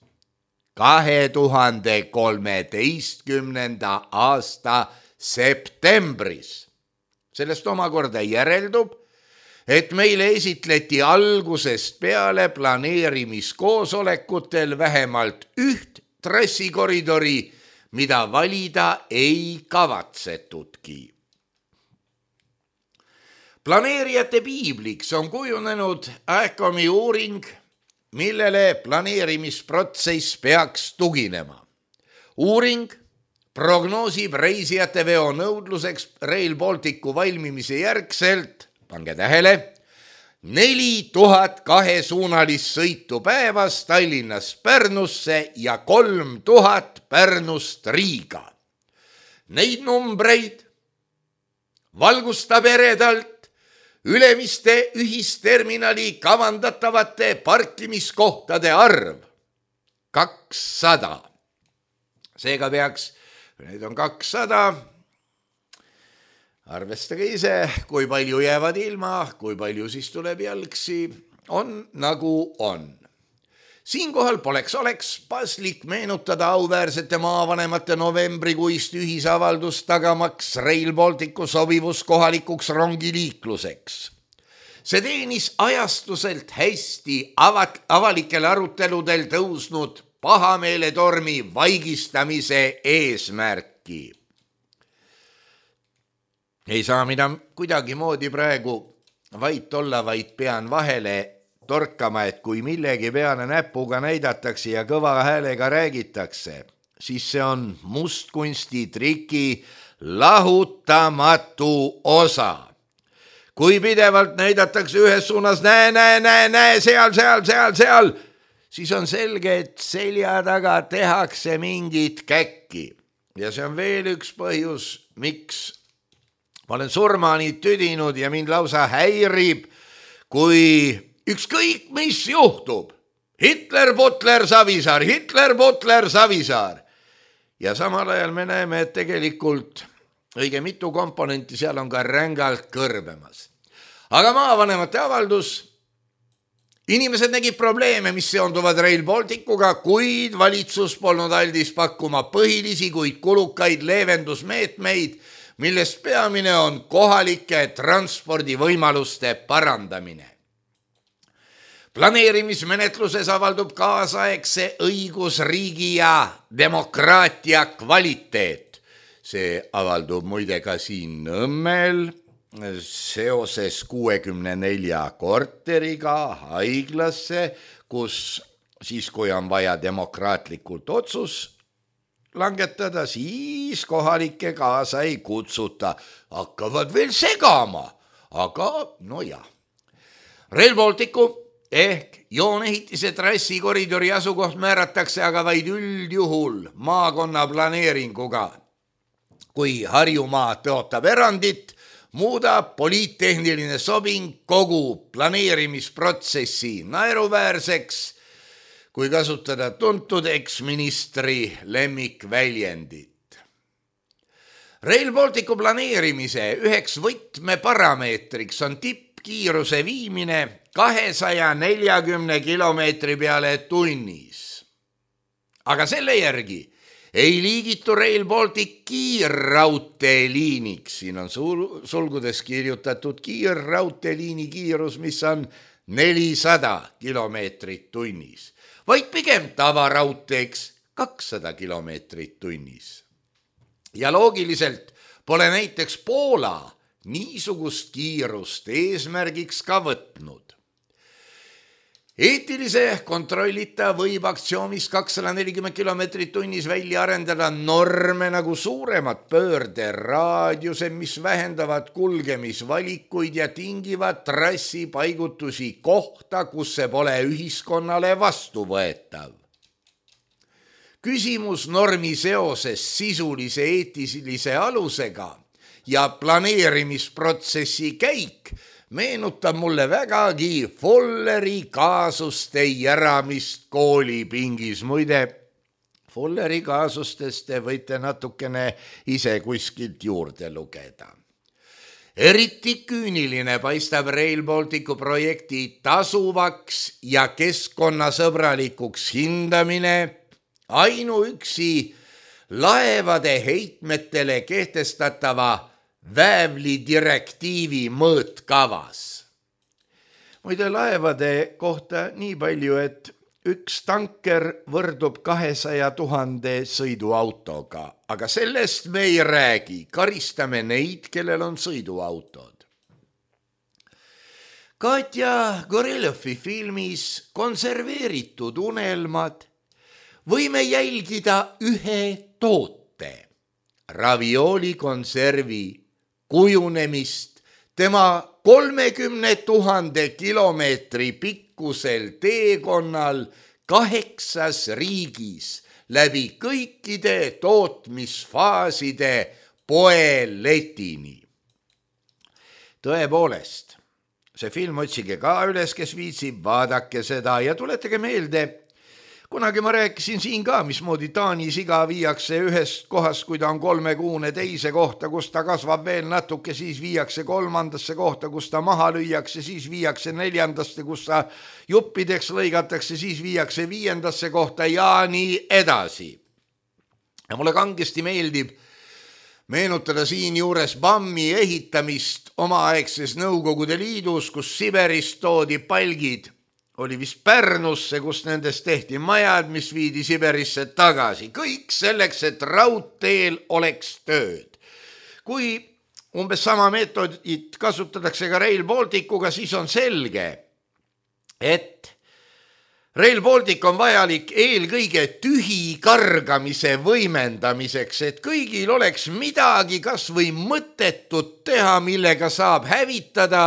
kahe tuhande kolmeteistkümnenda aasta septembris. Sellest omakorda järeldub, et meile esitleti algusest peale planeerimiskoosolekutel vähemalt üht trassikoridori, mida valida ei kavatsetudki. Planeerijate piibliks on kujunenud AECOM-i uuring, millele planeerimisprotsess peaks tuginema. Uuring prognoosib reisijate veo nõudluseks Rail Balticu valmimise järgselt, pange tähele, neli tuhat kahesuunalist sõitu päevas Tallinnast Pärnusse ja kolm tuhat Pärnust Riiga. Neid numbreid valgustab eredalt Ülemiste ühisterminali kavandatavate parkimiskohtade arv kakssada. Seega peaks, neid on kakssada, arvestage ise, kui palju jäävad ilma, kui palju siis tuleb jalgsi, on nagu on. Siinkohal poleks oleks paslik meenutada auväärsete maavanemate novembrikuist ühisavaldust tagamaks Rail Balticu sobivus kohalikuks rongiliikluseks. See teenis ajastuselt hästi avat, avalikel aruteludel tõusnud pahameeletormi vaigistamise eesmärki. Ei saa mida kuidagi moodi praegu vait olla, vaid pean vahele torkama, et kui millegi peale näpuga näidatakse ja kõva häälega räägitakse, siis see on mustkunsti triki lahutamatu osa. Kui pidevalt näidatakse ühes suunas näe, näe, näe, näe, seal, seal, seal, seal, siis on selge, et selja taga tehakse mingit käkki. Ja see on veel üks põhjus, miks ma olen surmani tüdinud ja mind lausa häirib, kui ükskõik mis juhtub. Hitler, Butler, Savisaar, Hitler, Butler, Savisaar. Ja samal ajal me näeme, et tegelikult õige mitu komponenti seal on ka rängalt kõrbemas. Aga maavanemate avaldus, inimesed nägid probleeme, mis seonduvad Rail Balticuga, kuid valitsus polnud aldis pakkuma põhilisi, kuid kulukaid leevendusmeetmeid, millest peamine on kohalike transpordivõimaluste parandamine. Planeerimismenetluses avaldub kaasaegse õigusriigi ja demokraatia kvaliteet. See avaldub muide ka siin Nõmmel seoses kuuekümne nelja korteriga haiglasse, kus siis, kui on vaja demokraatlikult otsus langetada, siis kohalikke kaasa ei kutsuta. Hakkavad veel segama, aga no jah. Rail Balticu ehk joonehitise trassikoridori asukoht määratakse aga vaid üldjuhul maakonna planeeringuga. Kui Harjumaa tõotab erandit, muudab poliittehniline sobing kogu planeerimisprotsessi naeruväärseks, kui kasutada tuntud eksministri lemmikväljendit. Rail Balticu planeerimise üheks võtmeparameetriks on tippkiiruse viimine kahesaja neljakümne kilomeetri peale tunnis. Aga selle järgi ei liigitu Rail Baltic kiirraudteeliiniks. Siin on sulgudes kirjutatud kiirraudteeliini kiirus, mis on nelisada kilomeetrit tunnis, vaid pigem tavaraudteeks kakssada kilomeetrit tunnis. Ja loogiliselt pole näiteks Poola niisugust kiirust eesmärgiks ka võtnud. Eetilise kontrollita võib aktsioomis kakssada nelikümmend kilomeetrit tunnis välja arendada norme nagu suuremad pöörderaadiused, mis vähendavad kulgemisvalikuid ja tingivad trassi paigutusi kohta, kus see pole ühiskonnale vastuvõetav. Küsimus normi seoses sisulise eetilise alusega ja planeerimisprotsessi käik meenutab mulle vägagi Folleri kaasuste järamist koolipingis. Muide, Folleri kaasustest te võite natukene ise kuskilt juurde lugeda. Eriti küüniline paistab Rail Balticu projekti tasuvaks ja keskkonnasõbralikuks hindamine ainuüksi laevade heitmetele kehtestatava väävli direktiivi mõõtkavas. muide laevade kohta nii palju, et üks tanker võrdub kahesaja tuhande sõiduautoga, aga sellest me ei räägi, karistame neid, kellel on sõiduautod. Katja Gorelovi filmis Konserveeritud unelmad võime jälgida ühe toote, ravioli konservi kujunemist tema kolmekümne tuhande kilomeetri pikkusel teekonnal kaheksas riigis läbi kõikide tootmisfaaside poeletini. Tõepoolest, see film otsige ka üles, kes viitsib, vaadake seda ja tuletage meelde, kunagi ma rääkisin siin ka, mismoodi Taani siga viiakse ühest kohast, kui ta on kolmekuune teise kohta, kus ta kasvab veel natuke, siis viiakse kolmandasse kohta, kus ta maha lüüakse, siis viiakse neljandasse, kus ta juppideks lõigatakse, siis viiakse viiendasse kohta ja nii edasi. Ja mulle kangesti meeldib meenutada siin juures Bammi ehitamist omaaegses Nõukogude Liidus, kus Siberist toodi palgid, oli vist Pärnusse, kus nendest tehti majad, mis viidi Siberisse tagasi. Kõik selleks, et raudteel oleks tööd. Kui umbes sama meetodit kasutatakse ka Rail Balticuga, siis on selge, et Rail Baltic on vajalik eelkõige tühi kargamise võimendamiseks, et kõigil oleks midagi kas või mõttetut teha, millega saab hävitada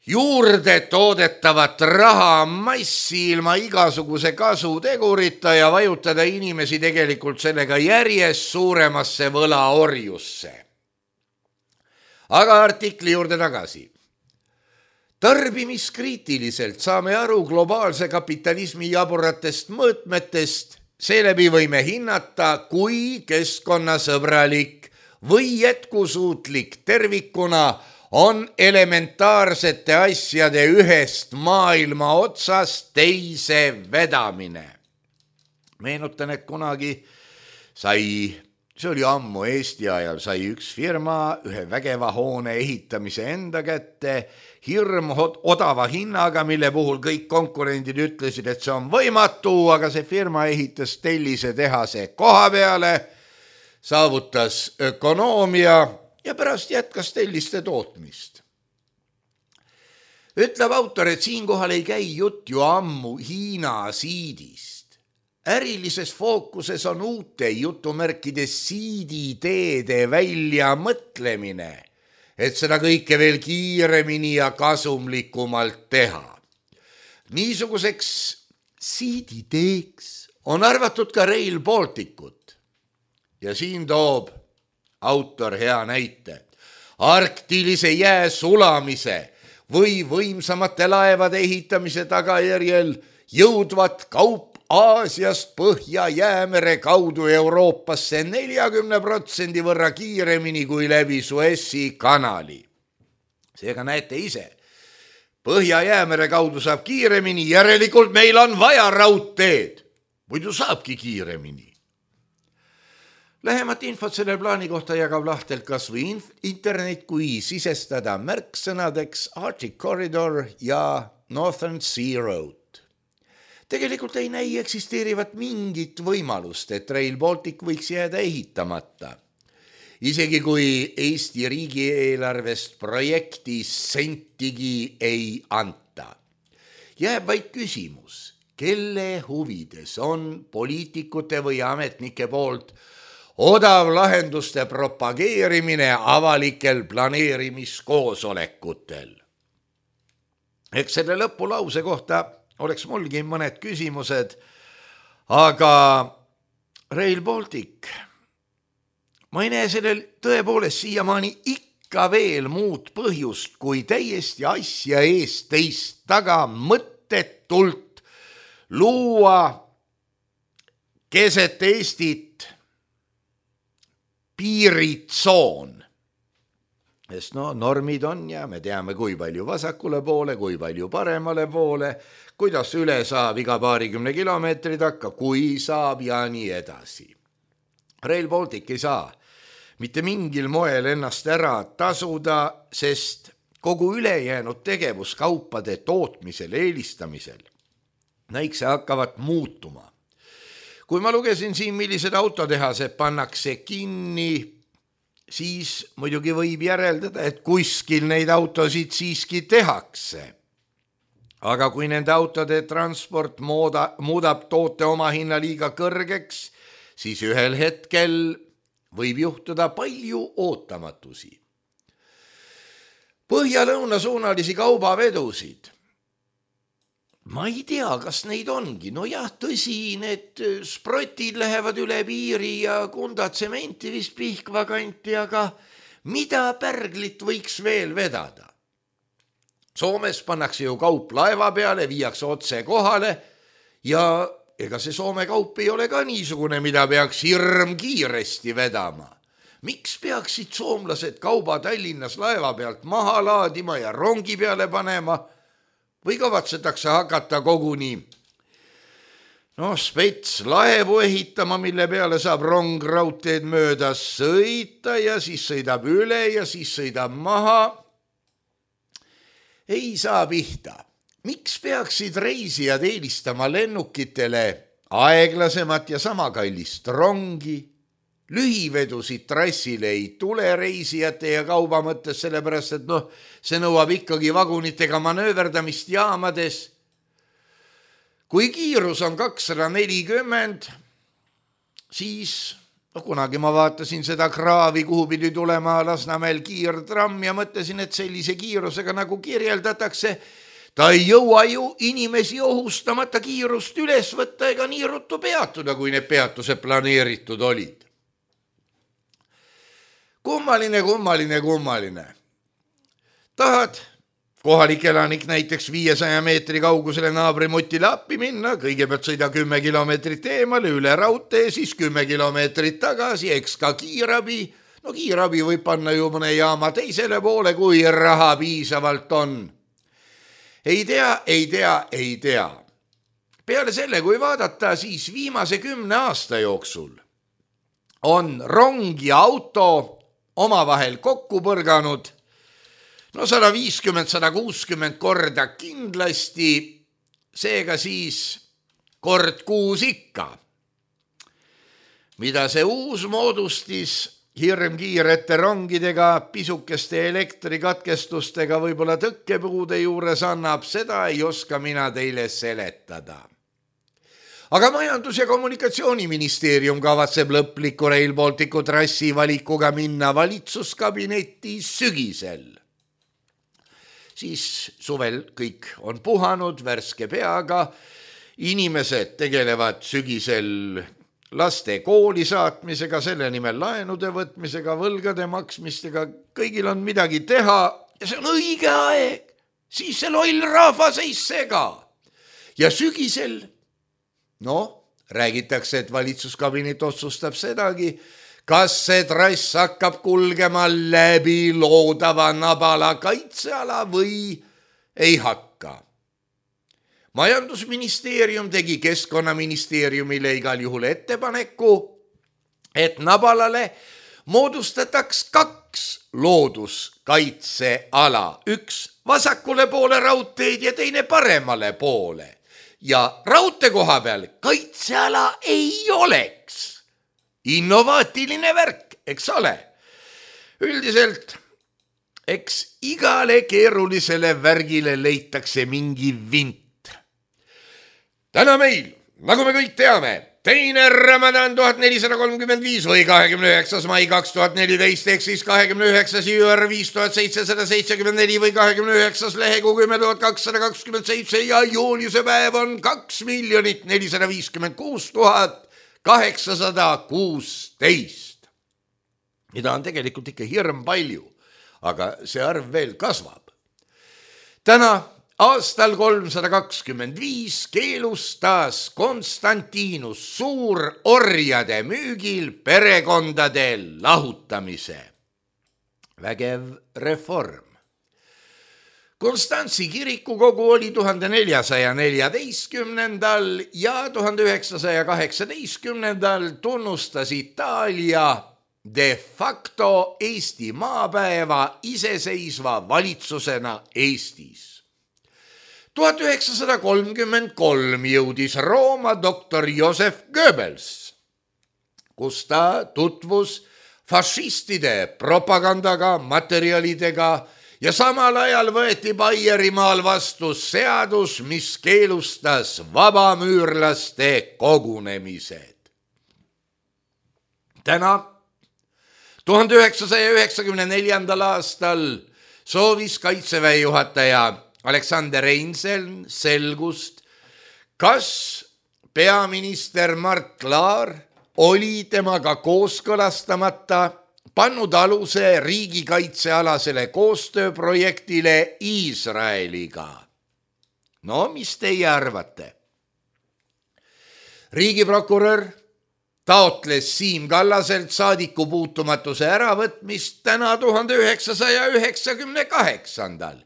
juurde toodetavat raha massi ilma igasuguse kasutegurita ja vajutada inimesi tegelikult sellega järjest suuremasse võlaorjusse. Aga artikli juurde tagasi. Tarbimiskriitiliselt saame aru globaalse kapitalismi jaburatest mõõtmetest, seeläbi võime hinnata, kui keskkonnasõbralik või jätkusuutlik tervikuna on elementaarsete asjade ühest maailma otsast teise vedamine. Meenutan, et kunagi sai, see oli ammu Eesti ajal, sai üks firma ühe vägeva hoone ehitamise enda kätte hirm odava hinnaga, mille puhul kõik konkurendid ütlesid, et see on võimatu, aga see firma ehitas tellise tehase koha peale, saavutas ökonoomia ja pärast jätkas telliste tootmist. Ütleb autor, et siinkohal ei käi jutt ju ammu Hiina siidist. Ärilises fookuses on uute jutumärkide siidideede välja mõtlemine, et seda kõike veel kiiremini ja kasumlikumalt teha. Niisuguseks siidideeks on arvatud ka Rail Balticut. Ja siin toob autor hea näite. Arktilise jää sulamise või võimsamate laevade ehitamise tagajärjel jõudvat kaup Aasiast Põhja-Jäämere kaudu Euroopasse neljakümne protsendi võrra kiiremini kui läbi Suessi kanali. Seega näete ise, Põhja-Jäämere kaudu saab kiiremini, järelikult meil on vaja raudteed, muidu saabki kiiremini. Lähemat infot selle plaani kohta jagab lahtelt kas või internet, kui sisestada märksõnadeks Arctic Corridor ja Northern Sea Road. Tegelikult ei näi eksisteerivat mingit võimalust, et Rail Baltic võiks jääda ehitamata. Isegi kui Eesti riigieelarvest projekti sentigi ei anta. Jääb vaid küsimus, kelle huvides on poliitikute või ametnike poolt odav lahenduste propageerimine avalikel planeerimiskoosolekutel. Eks selle lõpulause kohta oleks mulgi mõned küsimused, aga Rail Baltic, ma ei näe sellel tõepoolest siiamaani ikka veel muud põhjust, kui täiesti asja eest teist taga mõttetult luua keset Eestit piiritsoon. Sest no normid on ja me teame, kui palju vasakule poole, kui palju paremale poole, kuidas üle saab iga paarikümne kilomeetri takka, kui saab ja nii edasi. Rail Baltic ei saa mitte mingil moel ennast ära tasuda, sest kogu ülejäänud tegevus kaupade tootmisel, eelistamisel näikse hakkavad muutuma. Kui ma lugesin siin, millised autotehased pannakse kinni, siis muidugi võib järeldada, et kuskil neid autosid siiski tehakse. Aga kui nende autode transport mooda, muudab toote oma hinna liiga kõrgeks, siis ühel hetkel võib juhtuda palju ootamatusi. Põhja-lõuna suunalisi kaubavedusid. Ma ei tea, kas neid ongi. No jah, tõsi, need sprotid lähevad üle piiri ja Kunda tsementi vist Pihkva kanti, aga mida pärglit võiks veel vedada? Soomes pannakse ju kaup laeva peale, viiakse otse kohale ja ega see Soome kaup ei ole ka niisugune, mida peaks hirm kiiresti vedama. Miks peaksid soomlased kauba Tallinnas laeva pealt maha laadima ja rongi peale panema? Või kavatsetakse hakata koguni no, spets laevu ehitama, mille peale saab rong raudteed mööda sõita ja siis sõidab üle ja siis sõidab maha. Ei saa pihta. Miks peaksid reisijad eelistama lennukitele aeglasemat ja sama kallist rongi? Lühivedusid trassile ei tule reisijate ja kauba mõttes, sellepärast, et noh, see nõuab ikkagi vagunitega manööverdamist jaamades. Kui kiirus on kakssada nelikümmend, siis no, kunagi ma vaatasin seda kraavi, kuhu pidi tulema Lasnamäel kiirtramm ja mõtlesin, et sellise kiirusega nagu kirjeldatakse, ta ei jõua ju inimesi ohustamata kiirust üles võtta ega nii ruttu peatuda, kui need peatused planeeritud olid. Kummaline, kummaline, kummaline. Tahad kohalik elanik näiteks viiesaja meetri kaugusele naabrimutile appi minna, kõigepealt sõida kümme kilomeetrit eemale üle raudtee, siis kümme kilomeetrit tagasi, eks ka kiirabi. No kiirabi võib panna ju mõne jaama teisele poole, kui raha piisavalt on. Ei tea, ei tea, ei tea. Peale selle, kui vaadata, siis viimase kümne aasta jooksul on rong ja auto omavahel kokku põrganud no sada viiskümmend, sada kuuskümmend korda kindlasti, seega siis kord kuus ikka. Mida see uus moodustis hirmkiirete rongidega, pisukeste elektrikatkestustega, võib-olla tõkkepuude juures annab, seda ei oska mina teile seletada. Aga Majandus- ja Kommunikatsiooniministeerium kavatseb lõpliku Rail Balticu trassi valikuga minna valitsuskabinetti sügisel. Siis suvel kõik on puhanud värske peaga, inimesed tegelevad sügisel laste kooli saatmisega, selle nimel laenude võtmisega, võlgade maksmistega, kõigil on midagi teha ja see on õige aeg, siis see loll rahvas ei sega. Ja sügisel no, räägitakse, et valitsuskabinet otsustab sedagi, kas see trass hakkab kulgema läbi loodava Nabala kaitseala või ei hakka. Majandusministeerium tegi Keskkonnaministeeriumile igal juhul ettepaneku, et Nabalale moodustataks kaks looduskaitseala, üks vasakule poole raudteed ja teine paremale poole. Ja raudtee koha peal kaitseala ei oleks. Innovaatiline värk, eks ole. Üldiselt, eks igale keerulisele värgile leitakse mingi vint. Täna meil, nagu me kõik teame, teine Ramadan tuhat nelisada kolmkümmend viis või kahekümne üheksas mai kaks tuhat neliteist, ehk siis kahekümne üheksas juur viis tuhat seitsesada seitsekümmend neli või kahekümne üheksas lehekuu kümme tuhat kakssada kakskümmend seitse ja juuniuse päev on kaks miljonit nelisada viiskümmend kuus tuhat kaheksasada kuusteist. Mida on tegelikult ikka hirm palju, aga see arv veel kasvab. Täna aastal kolmsada kakskümmend viis keelustas Konstantinus suur orjade müügil perekondade lahutamise. Vägev reform. Konstantsi kirikukogu oli tuhande neljasaja neljateistkümnendal ja tuhande üheksasaja kaheksateistkümnendal tunnustas Itaalia de facto Eesti maapäeva iseseisva valitsusena Eestis. tuhat üheksasada kolmkümmend kolm jõudis Rooma doktor Joseph Goebbels, kus ta tutvus fašistide propagandaga, materjalidega ja samal ajal võeti Baierimaal vastu seadus, mis keelustas vabamüürlaste kogunemised. täna, tuhande üheksasaja üheksakümne neljandal aastal soovis Kaitseväe juhataja Alexander Reinseln selgust, kas peaminister Mart Laar oli temaga kooskõlastamata pannud aluse riigikaitsealasele koostööprojektile Iisraeliga. No, mis teie arvate? Riigiprokurör taotles Siim Kallaselt saadiku puutumatuse äravõtmist täna tuhande üheksasaja üheksakümne kaheksandal,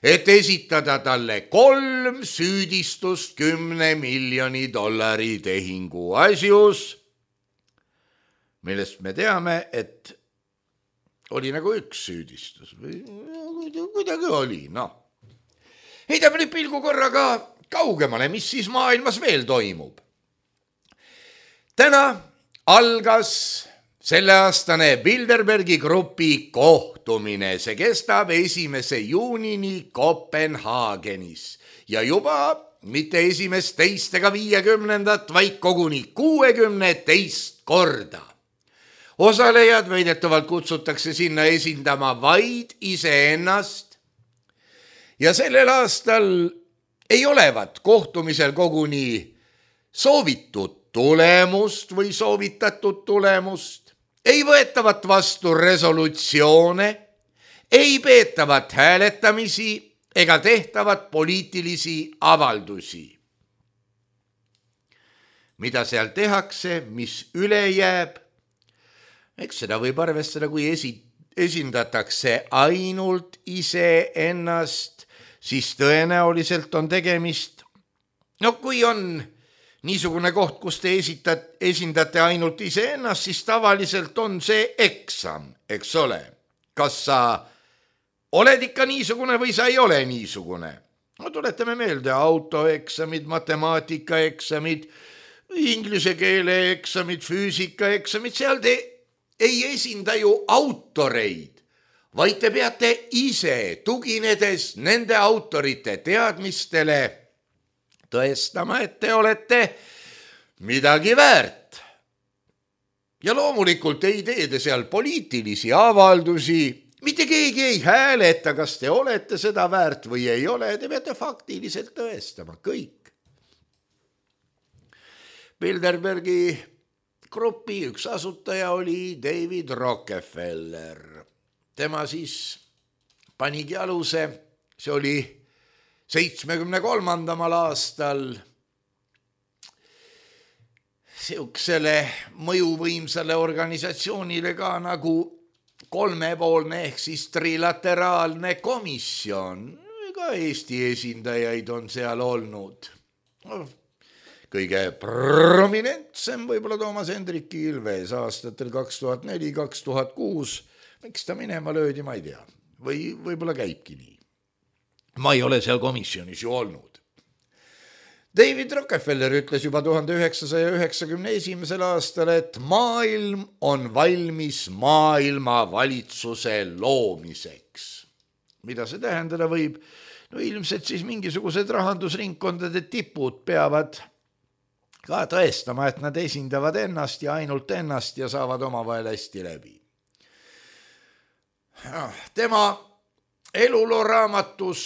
et esitada talle kolm süüdistust kümne miljoni dollari tehingu asjus, millest me teame, et oli nagu üks süüdistus või kuidagi oli, noh. Heidame nüüd pilgu korraga kaugemale, mis siis maailmas veel toimub. Täna algas selleaastane Bilderbergi grupi kohtumine, see kestab esimese juunini Kopenhaagenis ja juba mitte esimest teist ega viiekümnendat, vaid koguni kuuekümne teist korda. Osalejad väidetavalt kutsutakse sinna esindama vaid iseennast ja sellel aastal ei olevat kohtumisel koguni soovitud tulemust või soovitatud tulemust, ei võetavat vastu resolutsioone, ei peetavat hääletamisi ega tehtavat poliitilisi avaldusi. Mida seal tehakse, mis üle jääb? Eks seda võib arvestada, kui esi, esindatakse ainult iseennast, siis tõenäoliselt on tegemist, no kui on niisugune koht, kus te esitat, esindate ainult iseennast, siis tavaliselt on see eksam, eks ole. Kas sa oled ikka niisugune või sa ei ole niisugune? No tuletame meelde autoeksamid, matemaatikaeksamid, inglise keele eksamid, füüsikaeksamid, seal te ei esinda ju autoreid, vaid te peate ise, tuginedes nende autorite teadmistele, tõestama, et te olete midagi väärt. Ja loomulikult ei tee te seal poliitilisi avaldusi, mitte keegi ei hääleta, kas te olete seda väärt või ei ole, te peate faktiliselt tõestama kõik. Bilderbergi grupi üks asutaja oli David Rockefeller. Tema siis panigi aluse, see oli seitsmekümne kolmandamal aastal siuksele mõjuvõimsale organisatsioonile ka nagu kolmepoolne ehk siis trilateraalne komisjon. Ka Eesti esindajaid on seal olnud. Kõige prominentsem võib-olla Toomas Hendrik Ilves aastatel kaks tuhat neli kaks tuhat kuus. Miks ta minema löödi, ma ei tea. Või võib-olla käibki nii. Ma ei ole seal komisjonis ju olnud. David Rockefeller ütles juba tuhande üheksasaja üheksakümne esimesel aastal, et maailm on valmis maailma valitsuse loomiseks. Mida see tähendada võib? No ilmselt siis mingisugused rahandusringkondade tipud peavad ka tõestama, et nad esindavad ennast ja ainult ennast ja saavad omavahel hästi läbi. Tema elulooraamatus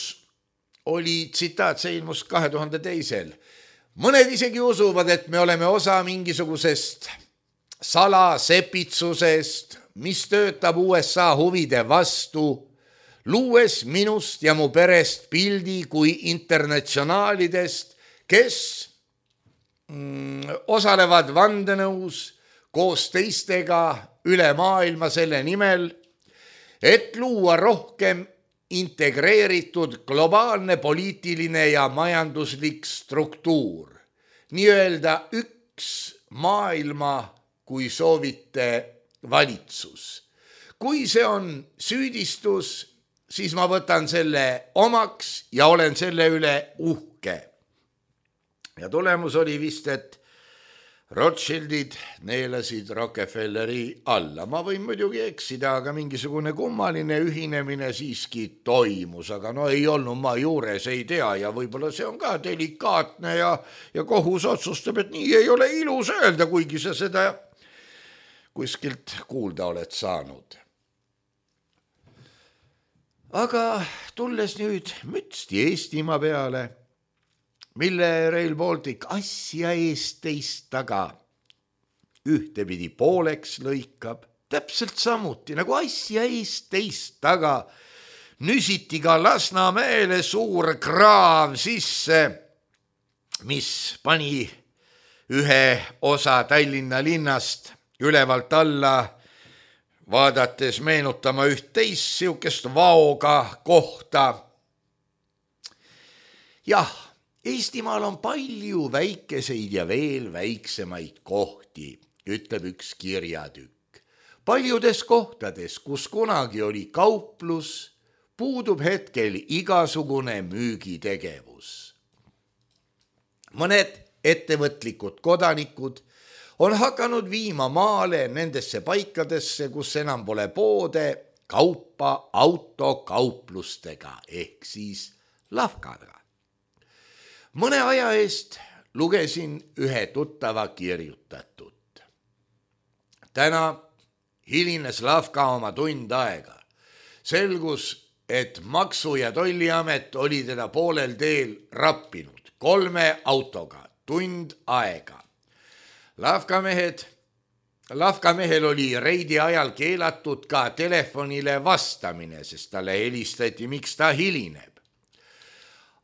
oli tsitaat, see ilmus kahe tuhande teisel. Mõned isegi usuvad, et me oleme osa mingisugusest salasepitsusest, mis töötab U S A huvide vastu, luues minust ja mu perest pildi kui internatsionaalidest, kes mm, osalevad vandenõus koos teistega üle maailma selle nimel, et luua rohkem integreeritud globaalne poliitiline ja majanduslik struktuur. Nii öelda üks maailma, kui soovite, valitsus. Kui see on süüdistus, siis ma võtan selle omaks ja olen selle üle uhke. Ja tulemus oli vist, et Rothschildid neelasid Rockefelleri alla. Ma võin muidugi eksida, aga mingisugune kummaline ühinemine siiski toimus, aga no ei olnud ma juures, ei tea ja võib-olla see on ka delikaatne ja, ja kohus otsustab, et nii ei ole ilus öelda, kuigi sa seda kuskilt kuulda oled saanud. Aga tulles nüüd mütsti Eestimaa peale, mille Rail Baltic asja eest teist taga ühtepidi pooleks lõikab, täpselt samuti nagu asja eest teist taga nüsiti ka Lasnamäele suur kraav sisse, mis pani ühe osa Tallinna linnast ülevalt alla vaadates meenutama üht teist siukest vaoga kohta. Jah, Eestimaal on palju väikeseid ja veel väiksemaid kohti, ütleb üks kirjatükk. Paljudes kohtades, kus kunagi oli kauplus, puudub hetkel igasugune müügitegevus. Mõned ettevõtlikud kodanikud on hakanud viima maale nendesse paikadesse, kus enam pole poode, kaupa autokauplustega ehk siis lavkaga. Mõne aja eest lugesin ühe tuttava kirjutatut. Täna hilines lavka oma tund aega. Selgus, et Maksu- ja Tolliamet oli teda poolel teel rappinud kolme autoga tund aega. Lavkamehed, lavkamehel oli reidi ajal keelatud ka telefonile vastamine, sest talle helistati, miks ta hilineb.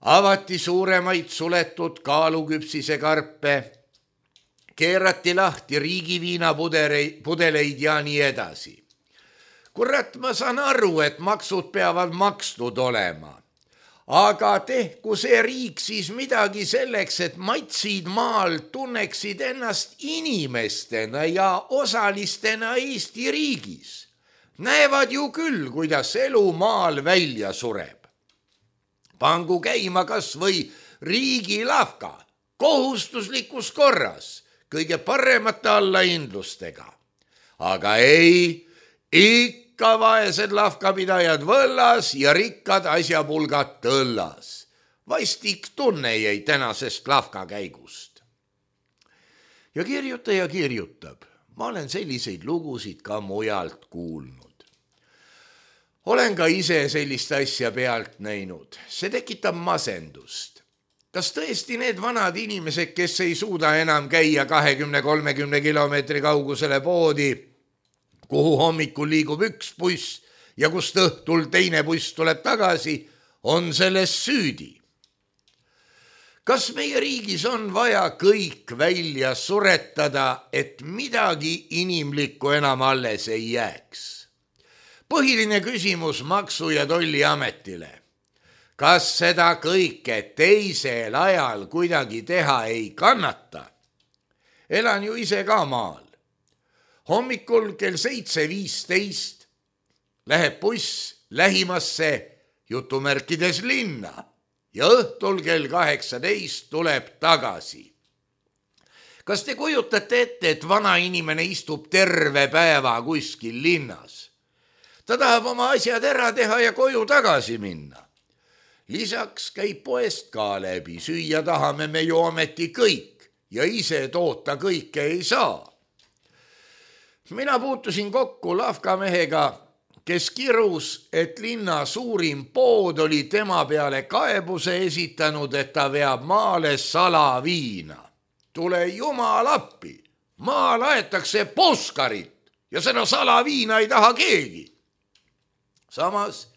Avati suuremaid suletud kaaluküpsise karpe, keerati lahti riigiviina pudeleid ja nii edasi. Kurat, ma saan aru, et maksud peavad makstud olema. Aga tehku see riik siis midagi selleks, et matsid maal tunneksid ennast inimestena ja osalistena Eesti riigis. Näevad ju küll, kuidas elu maal välja sureb. Pangu käima kas või riigilavka, kohustuslikus korras, kõige paremate allahindlustega. Aga ei, ikka vaesed lavkapidajad võllas ja rikkad asjapulgad tõllas. Vastik tunne jäi tänasest lavkakäigust. Ja kirjutaja kirjutab, ma olen selliseid lugusid ka mujalt kuulnud. Olen ka ise sellist asja pealt näinud. See tekitab masendust. Kas tõesti need vanad inimesed, kes ei suuda enam käia kahekümne kolmekümne kilomeetri kaugusele poodi, kuhu hommikul liigub üks buss ja kust õhtul teine buss tuleb tagasi, on selles süüdi? Kas meie riigis on vaja kõik välja suretada, et midagi inimlikku enam alles ei jääks? Põhiline küsimus Maksu- ja Tolliametile. Kas seda kõike teisel ajal kuidagi teha ei kannata? Elan ju ise ka maal. Hommikul kell seitse viisteist läheb buss lähimasse jutumärkides linna ja õhtul kell kaheksateist tuleb tagasi. Kas te kujutate ette, et vana inimene istub terve päeva kuskil linnas? Ta tahab oma asjad ära teha ja koju tagasi minna. Lisaks käib poest ka läbi, süüa tahame me ju ometi kõik ja ise toota kõike ei saa. Mina puutusin kokku lavkamehega, kes kirus, et linna suurim pood oli tema peale kaebuse esitanud, et ta veab maale salaviina. Tule jumal appi, maal aetakse puskarit ja seda salaviina ei taha keegi. Samas,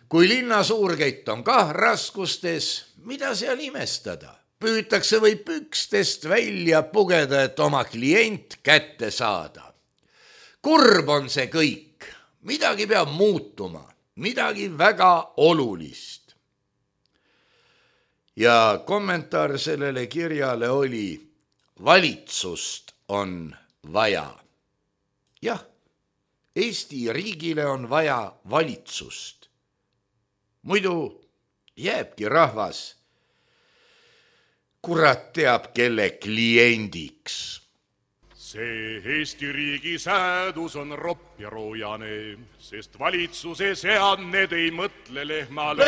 kui linna suurkett on kah raskustes, mida seal imestada? Püütakse või pükstest välja pugeda, et oma klient kätte saada. Kurb on see kõik. Midagi peab muutuma. Midagi väga olulist. Ja kommentaar sellele kirjale oli, valitsust on vaja. Jah, Eesti riigile on vaja valitsust. Muidu jääbki rahvas kurat teab kelle kliendiks. See Eesti riigi säädus on ropp ja roojane, sest valitsuse seadned ei mõtle lehmale.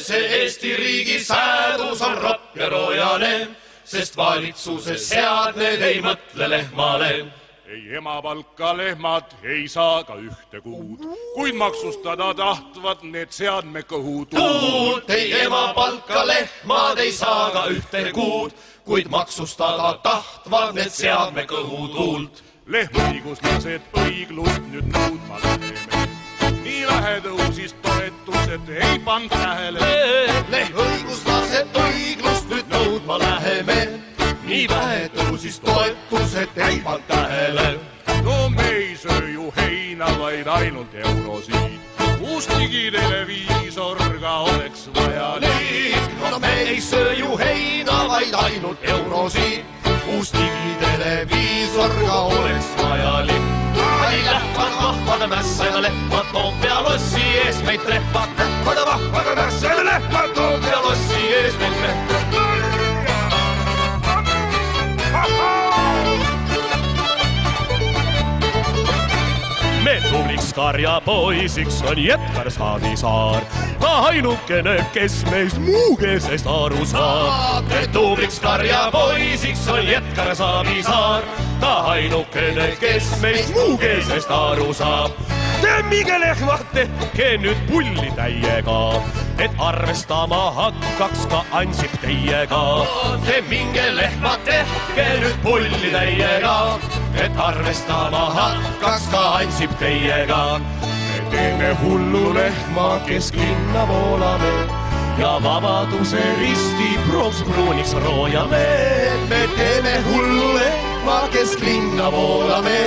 See Eesti riigi säädus on ropp ja roojane, sest valitsuse seadned ei mõtle lehmale. Ei emapalka lehmad ei saa ka ühte kuud, kuid maksustada tahtvad need seadme kõhud. Tuult ei emapalka lehmad ei saa ka ühte kuud, kuid maksustada tahtvad need seadme kõhutuult. Lehmaõiguslased õiglust nüüd nõudma läheme. Nii vähe tõusis toetused ei pand tähele. Lehmaõiguslased õiglust nüüd nõudma läheme. Nii vähe tõusis toetused ei pand tähele. No me ei söö ju heina, vaid ainult eurosiid. Uus digiteleviisor ka oleks vajalik. No me ei söö ju heina, vaid ainult eurosiid. Uus digiteleviisor ka oleks vajalik. Ai lähvad vahvade mässada lehmad Toompea lossi ees meid trehvad. Lähvad vahvade mässada lehmad Toompea lossi ees meid trehvad. Me tubliks karjapoisiks on Jetkar Savisaar. Ta ainukene, kes meist muugesest aru saab. Me tubliks karjapoisiks on Jetkar Savisaar. Ta ainukene, kes meist muugesest aru saab. Temmige lehmad, tehke nüüd pulli täiega, et arvestama hakkaks ka Ansip teiega. Temmige lehmad, tehke nüüd pulli täiega, et arvestama hakkaks ka Ansip teiega. Me teeme hullu lehma, kesklinna voolame ja Vabaduse risti pronksbruuniks roojame. Me teeme hullu lehma, kesklinna voolame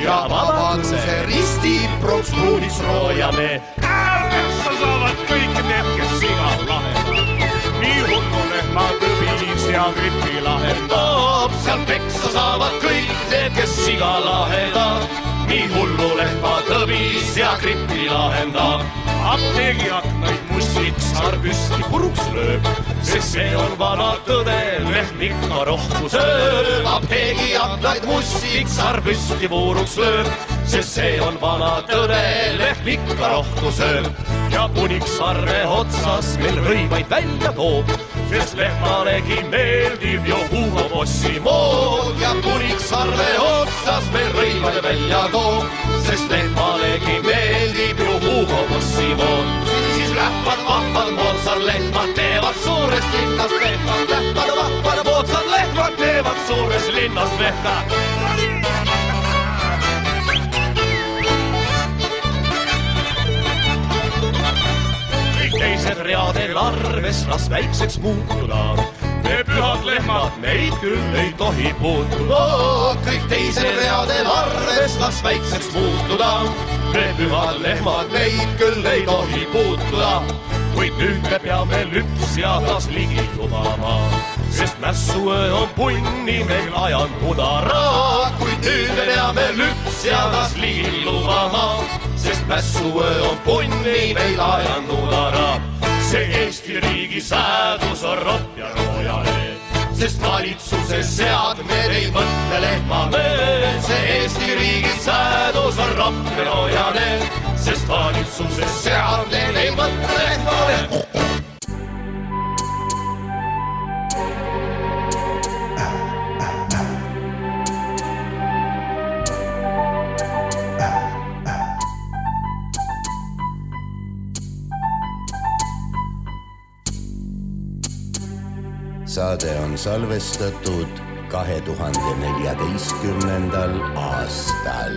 ja Vabaduse risti pronksbruuniks roojame. Äärmessa saavad kõik need, kes siga lahendab. Nii hullu lehma tõbis ja gripi lahendab. Seal peksa saavad kõik need, kes siga lahendab. Nii hullu lehma tõbis ja gripi lahendab. Apteegi aknaid mustiks sarpüsti puruks lööb, sest see on vana tõde, lehm ikka rohku sööb. Apteegi aknaid mustiks sarpüsti puruks lööb, sest see on vana tõde, lehm ikka rohku sööb. Ja puniksarve otsas meil rõivaid välja toob, sest lehmalegi meeldib ju Hugo Bossi mood. Ja puniksarve otsas meil rõivaid välja toob, sest lehmalegi meeldib ju Hugo Bossi mood. Siis lähvad vahvad moodsad lehmad teevad suurest linnast lehmad. Lähvad vahvad moodsad lehmad teevad suurest linnast lehmad. Teised readel arves las väikseks muutuda. Me pühad lehmad neid küll ei tohi puutuda. Kõik teised readel arves las väikseks muutuda. Me pühad lehmad neid küll ei tohi puutuda. Kuid nüüd me peame lüpsjadas ligi lubama, sest mässuöö on punni meil ajanud udara. Kuid nüüd me peame lüpsjadas ligi lubama, sest mässuöö on punni meil ajanud udara. See Eesti riigi säädus on ropp ja roojane, sest valitsuse seadmed ei mõtle lehmale. See Eesti riigi säädus on ropp ja roojane, sest valitsuse seadmed ei mõtle lehmale. Saade on salvestatud kahe tuhande neljateistkümnendal aastal.